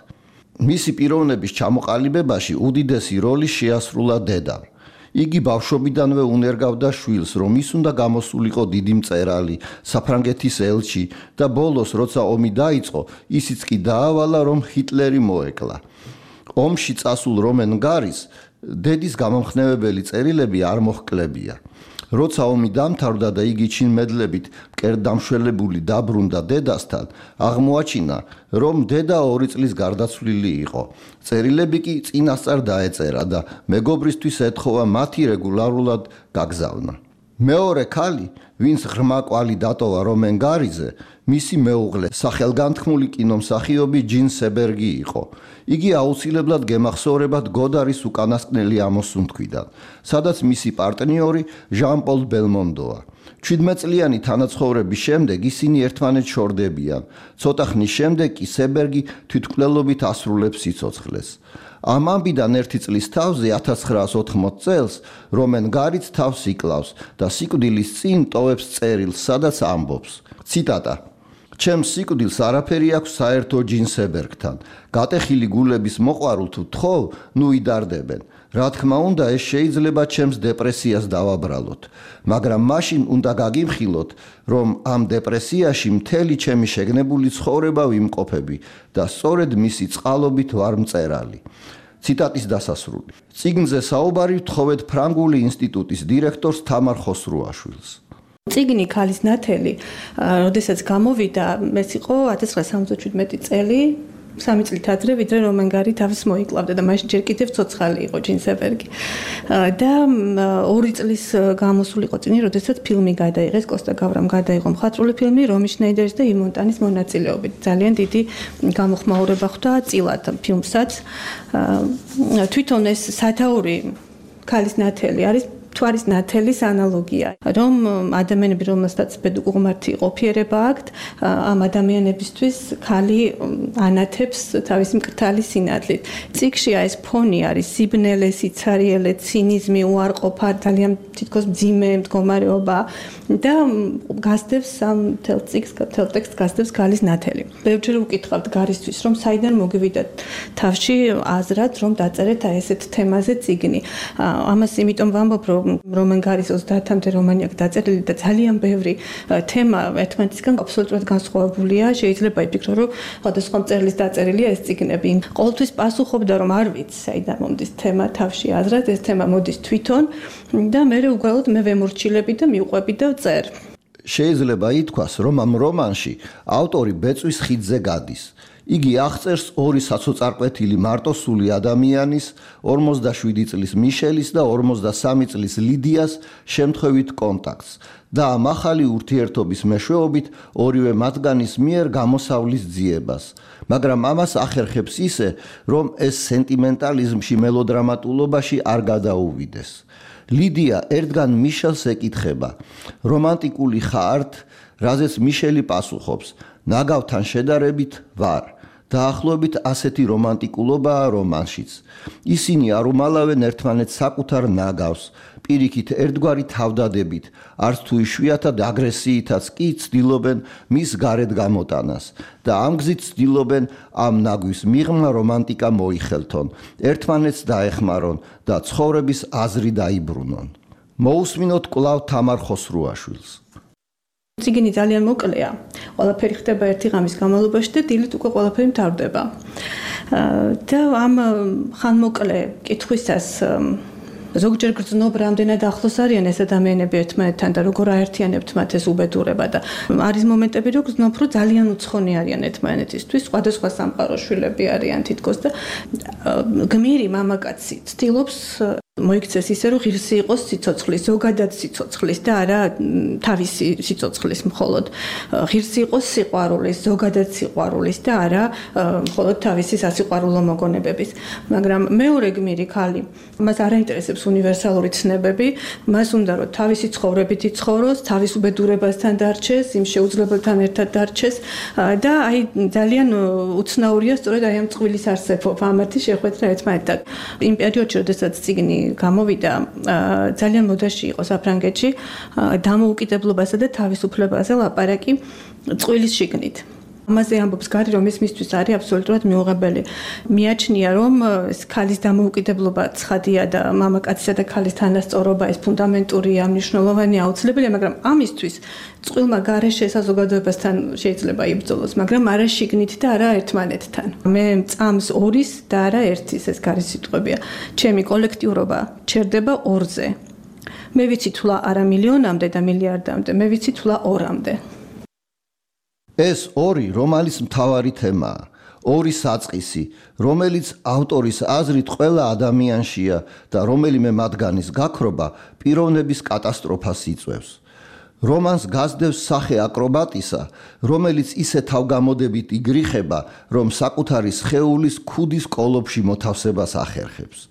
Speaker 18: მისი პიროვნების ჩამოყალიბებაში უდიდესი როლი შეასრულა დედამ. იგი ბავშვობიდანვე უნერგავდა შვილს, რომ ის უნდა გამოსულიყო დიდი მწერალი, საფრანგეთის ელჩი და ბოლოს, როცა ომი დაიწყო, ისიც კი დაავალა, რომ ჰიტლერი მოეკლა. ომში წასულ რომენ გარის დედის გამომხნევებელი წერილები არ მოჰკლებია. როცა ომი დამთავრდა და იგი ჩინმედლებით მკერდამშველებული დაბრუნდა დედასთან, აღმოაჩინა, რომ დედა ორი წლის გარდაცვლილი იყო. წერილები კი წინასწარ დაეწერა და მეგობრისთვის ეთხოვა მათი რეგულარულად გაგზავნა. მეორე ქალი, ვინც ღრმა კვალი დატოვა რომენ გარიზე, მისი მეუღლე, სახელგანთქმული კინომსახიობი ჯინ სებერგი იყო. იგი აუცილებლად გემახსოვრებათ გოდარის უკანასკნელი ამოსუნთქვიდან, სადაც მისი პარტნიორი ჟან პოლ ბელმონდოა. შვიდმეტწლიანი თანაცხოვრების შემდეგ ისინი ერთმანეთს შორდებიან. ცოტა ხნის შემდეგ კი სებერგი თვითმკვლელობით ასრულებს სიცოცხლეს. ამ ამბიდან ერთი წლის თავზე ათას ცხრაას ოთხმოც წელს რომენ გარიც თავს იკლავს და სიკვდილის წინ ტოვებს წერილს, სადაც ამბობს. ციტატა: ჩემს სიკვდილს არაფერი აქვს საერთო ჯინ სებერგთან. გატეხილი გულების მოყვარულ თუ თხოვ, ნუ იდარდებენ. რა თქმა უნდა, ეს შეიძლება ჩემს დეპრესიას დავაბრალოთ, მაგრამ მაშინ უნდა გაგიმხილოთ, რომ ამ დეპრესიაში მთელი ჩემი შეგნებული ცხოვრება ვიმყოფები და სწორედ მისი წყალობით ვარ მწერალი. ციტატის დასასრული. წიგნზე საუბარი ვთხოვეთ ფრანგული ინსტიტუტის დირექტორს თამარ ხოსრუაშვილს.
Speaker 19: წიგნი ქალის ნათელი, როდესაც გამოვიდა, ეს იყო ათას ცხრაას სამოცდაშვიდმეტი წელი, სამი წლით ადრე, ვიდრე რომენ გარი თავის მოიკლავდა და მაშინ ჯერ კიდევ ცოცხალი იყო ჯინ სებერგი. და ორი წლის გამოსული იყო წინი, როდესაც ფილმი გადაიღეს, კოსტა გავრამ გადაიღო მხატვრული ფილმი რომი შნეიდერის და იმონტანის მონაწილეობით. ძალიან დიდი გამოხმაურება ხვდა წილად ფილმსაც. თვითონ ეს სათაური ქალის ნათელი არის თვარის ნათელის ანალოგია, რომ ადამიანები, რომელსაც ბედუყმართი ყოფიერება აქვთ, ამ ადამიანებისთვის ქალი ანათებს თავისი მკრთალი სინათლით. წიგნში ეს ფონი არის სიბნელე, სიცარიელე, ცინიზმი, უარყოფა, ძალიან თითქოს მძიმე მდგომარეობა და გასდევს ამ თელ წიგნს, თელ ტექსტს გასდევს ქალის ნათელი. ბევრჯერ უკითხავთ გარისთვის, რომ საიდან მოგივიდათ თავში აზრად, რომ დაწერეთ აი ესეთ თემაზე წიგნი. ამას იმიტომ ვამბობ, რომ რომენ გარის ოცდაათამდე რომანი აქვს დაწერილი და ძალიან ბევრი თემა ერთმანეთისგან აბსოლუტურად განსხვავებულია. შეიძლება იფიქრო, რომ სხვადასხვა მწერლის დაწერილია ეს წიგნები. ყოველთვის პასუხობდა, რომ არ ვიცი, საიდან მომდის თემა თავში აზრად, ეს თემა მოდის თვითონ და მე უბრალოდ მე ვემორჩილები და მივყვები და ვწერ.
Speaker 18: შეიძლება ითქვას, რომ ამ რომანში ავტორი ბეწვის ხიდზე გადის. იგი აღწერს ორი საცოწარკვეთილი მარტოსული ადამიანის, ორმოცდაშვიდი წლის მიშელის და ორმოცდასამი წლის ლიდიას შემთხვევით კონტაქტს და ამ ახალი ურთიერთობის მეშვეობით ორივე მათგანის მიერ გამოსავლის ძიებას. მაგრამ ამას ახერხებს ისე, რომ ეს სენტიმენტალიზმში, მელოდრამატულობაში არ გადაუვიდეს. ლიდია ერთგან მიშელს ეკითხება: რომანტიკული ხართ? რაზეც მიშელი პასუხობს: ნაგავთან შედარებით ვარ. დაახლოებით ასეთი რომანტიკულობაა რომანშიც. ისინი არ უმალავენ ერთმანეთს საკუთარ ნაგავს, პირიქით ერთგვარი თავდადებით, არც თუ იშვიათად აგრესიითაც კი ცდილობენ მის გარეთ გამოტანას და ამ გზით ცდილობენ ამ ნაგვის მიღმა რომანტიკა მოიხელთონ, ერთმანეთს დაეხმარონ და ცხოვრების აზრი დაიბრუნონ. მოусმინოთ კვლავ თამარ ხოსრუაშვილს.
Speaker 19: წიგნი ძალიან მოკლეა. ყველაფერი ხდება ერთი ღამის განმავლობაში და დილით უკვე ყველაფერი მთავრდება. და ამ ხანმოკლე კითხვისას ზოგჯერ გრძნობ რამდენად ახლოს არიან ეს ადამიანები ერთმანეთთან და როგორ აერთიანებთ მათ ეს უბედურება და არის მომენტები რომ გრძნობ რომ ძალიან უცხონი არიან ერთმანეთისთვის, სხვადასხვა სამყაროს შვილები არიან თითქოს და გმირი მამაკაცი ცდილობს მოიქცეს ისე რომ ღირსი იყოს სიცოცხლის, ზოგადად სიცოცხლის და არა თავისი სიცოცხლის მხოლოდ. ღირსი იყოს სიყვარულის, ზოგადად სიყვარულის და არა მხოლოდ თავისი სასიყვარულო მოგონებების. მაგრამ მეორე გმირი ქალი, მას არ აინტერესებს უნივერსალური ცნებები, მას უნდა რომ თავისი ცხოვრებით იცხოვროს, თავის უბედურებასთან დარჩეს, იმ შეუძლებელთან ერთად დარჩეს და აი ძალიან უცნაურია სწორედ აი ამ წყვილის არსებობა, ამათი შეხვედრა ერთმანეთთან. იმ პერიოდში, როდესაც წიგნი გამოვიდა, ძალიან მოდაში იყო საფრანგეთში დამოუკიდებლობასა და თავისუფლებაზე ლაპარაკი წყვილის შიგნით. ამაზე ამბობს გარი, რომ ეს მისთვის არის აბსოლუტურად მიუღებელი. მიაჩნია, რომ ეს ქალის დამოუკიდებლობა ცხადია და მამაკაცისა და ქალის თანასწორობა ეს ფუნდამენტურია, მნიშვნელოვანია, აუცილებელია, მაგრამ ამისთვის წყვილმა გარეშე საზოგადოებასთან შეიძლება იბრძოლოს, მაგრამ არა შიგნით და არა ერთმანეთთან. მე წამს ორის და არა ერთის ეს გარი სიტყვებია. ჩემი კოლექტიურობა ჩერდება ორზე. მე ვიცი თულა არა მილიონამდე და მილიარდამდე, მე ვიცი თულა ორამდე.
Speaker 18: ეს ორი რომალის მთავარი თემაა. ორი საწყისი, რომელიც ავტორის აზრით ყველა ადამიანშია და რომელიმე მათგანის გაქრობა პიროვნების კატასტროფას იწვევს. რომანს გასდევს სახე აკრობატისა, რომელიც ისე თავგამოდებით იგრიხება, რომ საკუთარი სხეულის ქუდის კოლოფში მოთავსებას ახერხებს.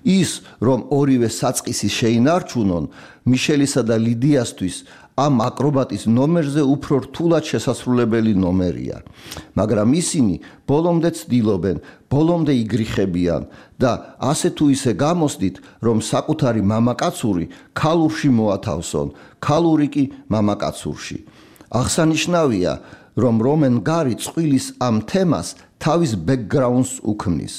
Speaker 18: ის, რომ ორივე საწყისი შეინარჩუნონ, მიშელისა და ლიდიასთვის ამ აკრობატის ნომერზე უფრო რთულად შესასრულებელი ნომერია. მაგრამ ისინი ბოლომდე ცდილობენ, ბოლომდე იგრიხებიან და ასე თუ ისე გამოსდით, რომ საკუთარი მამაკაცური ქალურში მოათავსონ, ქალური კი მამაკაცურში. აღსანიშნავია, რომ რომენ გარი წვილის ამ თემას თავის ბექგრაუნდს უქმნის.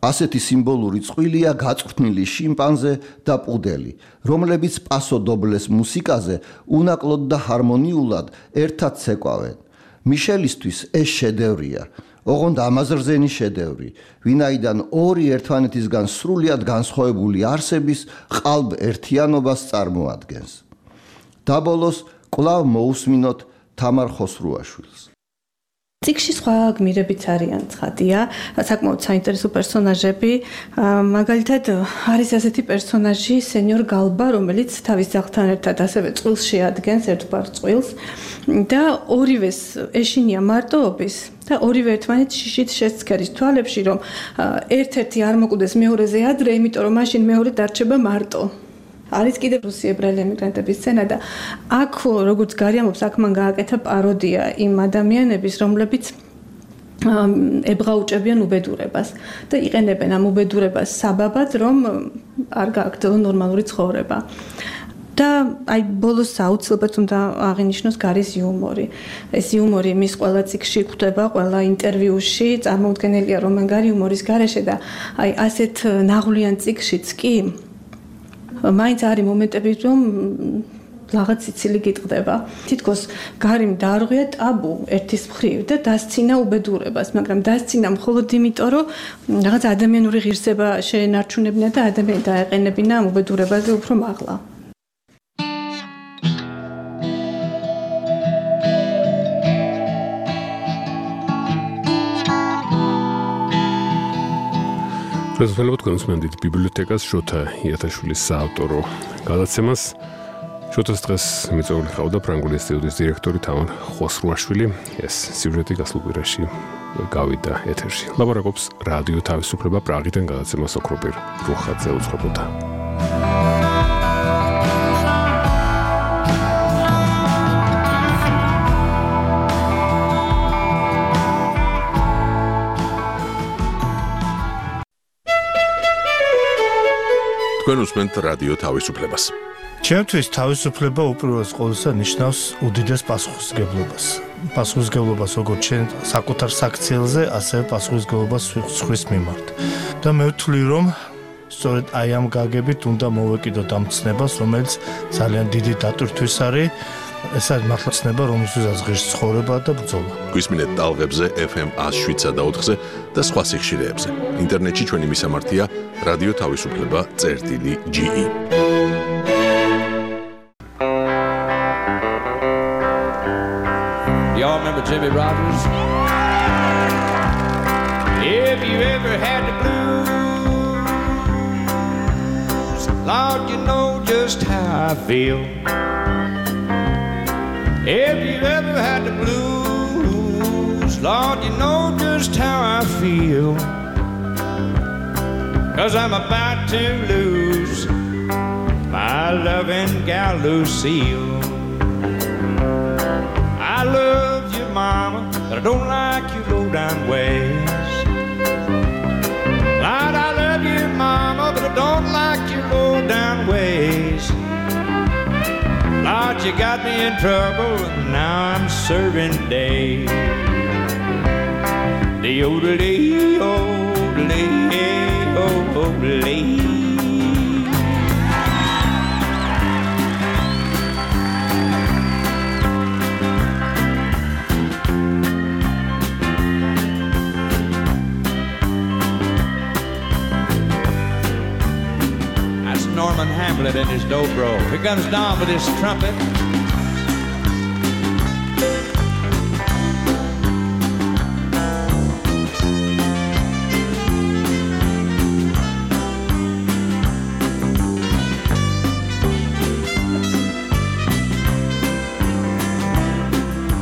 Speaker 18: ასეთი სიმბოლური წვილია გაწვრთნილი შიმპანზე და პუდელი, რომლებიც პასო დობლეს მუსიკაზე უნაკლოდ და ჰარმონიულად ერთად ცეკვავენ. მიშელისთვის ეს შედევრია, ოღონდ ამაზრზენი შედევრი, ვინაიდან ორი ერთმანეთისგან სრულიად განსხვავებული არსების ყალბ ერთიანობას წარმოადგენს. დაბოლოს კვლავ მოусმინოთ თამარ ხოსრუაშვილს.
Speaker 19: ციკში სხვა გმირებიც არიან ცხადია, საკმაოდ საინტერესო პერსონაჟები. მაგალითად, არის ასეთი პერსონაჟი სენიორ გალბა, რომელიც თავის ძაღლთან ერთად ასევე წყვილს შეადგენს, ერთგვარ წყვილს და ორივეს ეშინია მარტოობის და ორივე ერთმანეთს შიშით შესცქერის თვალებში, რომ ერთ-ერთი არ მოკვდეს მეორეზე ადრე, იმიტომ რომ მაშინ მეორე დარჩება მარტო. არის კიდევ რუსი ებრაელი ემიგრანტების სცენა და აქ როგორც გარიამობს, აქ მან გააკეთა პაროდია იმ ადამიანების, რომლებიც ებღაუჭებიან უბედურებას და იყენებენ ამ უბედურებას საბაბად, რომ არ გააგრძელონ ნორმალური ცხოვრება. და აი ბოლოს აუცილებლად უნდა აღინიშნოს გარის იუმორი. ეს იუმორი მის ყველა წიგნში გვხვდება, ყველა ინტერვიუში, წარმოუდგენელია რომ გარი იუმორის გარეშე და აი ასეთ ნაღვლიან წიგნშიც კი მაინც არის მომენტები, რომ რაღაც ციცილი გიტყდება. თითქოს გარიმ დაარღვია ტაბუ ერთის მხრივ და დასცინა უბედურებას, მაგრამ დასცინა მხოლოდ იმიტომ, რომ რაღაც ადამიანური ღირსება შეენარჩუნებინა და ადამიანი დაეყენებინა ამ უბედურებაზე უფრო მაღლა.
Speaker 2: პრეზიდენტად კონსმენდით ბიბლიოთეკას შოთა იათაშვილის საავტორო გადაცემას. შოთას დღეს მიწვეული ხავდა ფრანგული ინსტიტუტის დირექტორი თამარ ხოსრუაშვილი. ეს სიუჟეტი გასულ კვირაში გავიდა ეთერში. ლაბორატორს რადიო თავისუფლება პრაღიდან გადაცემას ოქროპირ რუხაძე უძღვებოდა.
Speaker 1: თქვენ უსმენთ რადიო თავისუფლებას.
Speaker 20: ჩემთვის თავისუფლება უპირველეს ყოვლისა ნიშნავს უდიდეს პასუხისმგებლობას. პასუხისმგებლობას როგორც ჩვენ საკუთარ საქციელზე, ასევე პასუხისმგებლობას სხვის მიმართ. და მე ვთვლი, რომ სწორედ აი ამ გაგებით უნდა მოვეკიდოთ ამ ცნებას, რომელიც ძალიან დიდი დატვირთვის არის. ეს არის მართლა ცნება, რომელსაც ღირს ცხოვრება და ბრძოლა.
Speaker 1: გვისმინეთ ტალღებზე ეფ ემ one oh seven point four-ზე და სხვა სიხშირეებზე. ინტერნეტში ჩვენი მისამართია რადიო თავისუფლება წერტილი ჯი ი.
Speaker 12: Y'all remember Jimmy Rogers? If you ever had the blues, Lord, you know just how I feel. If you ever had the blues, Lord, you know just how I feel. 'Cause I'm about to lose my loving gal Lucille. I love you, Mama, but I don't like your low-down ways. Lord, I love you, Mama, but I don't like your low-down ways. Lord, you got me in trouble, and now I'm serving days. The odelee, odelee, odelee. That's Norman Hamlet and his dobro. Here comes Don with his trumpet.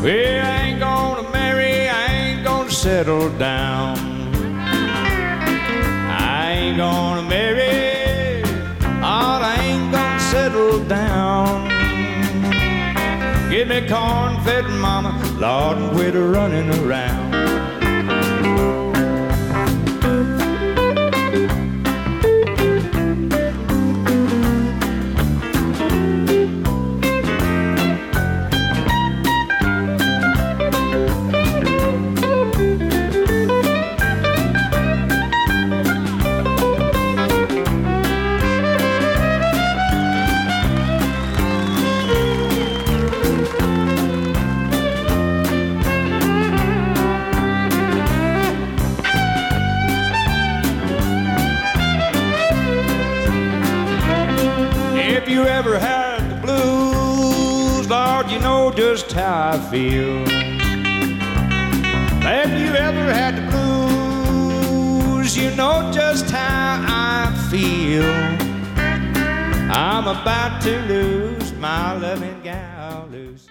Speaker 12: Well, I ain't gonna marry, I ain't gonna settle down. I ain't gonna marry, or I ain't gonna settle down. Feed me corn, fed mama, Lord, and quit running around. If you ever had the blues, Lord, you know just how I feel. If you ever had the blues, you know just how I feel. I'm about to lose my loving gal, Lucy.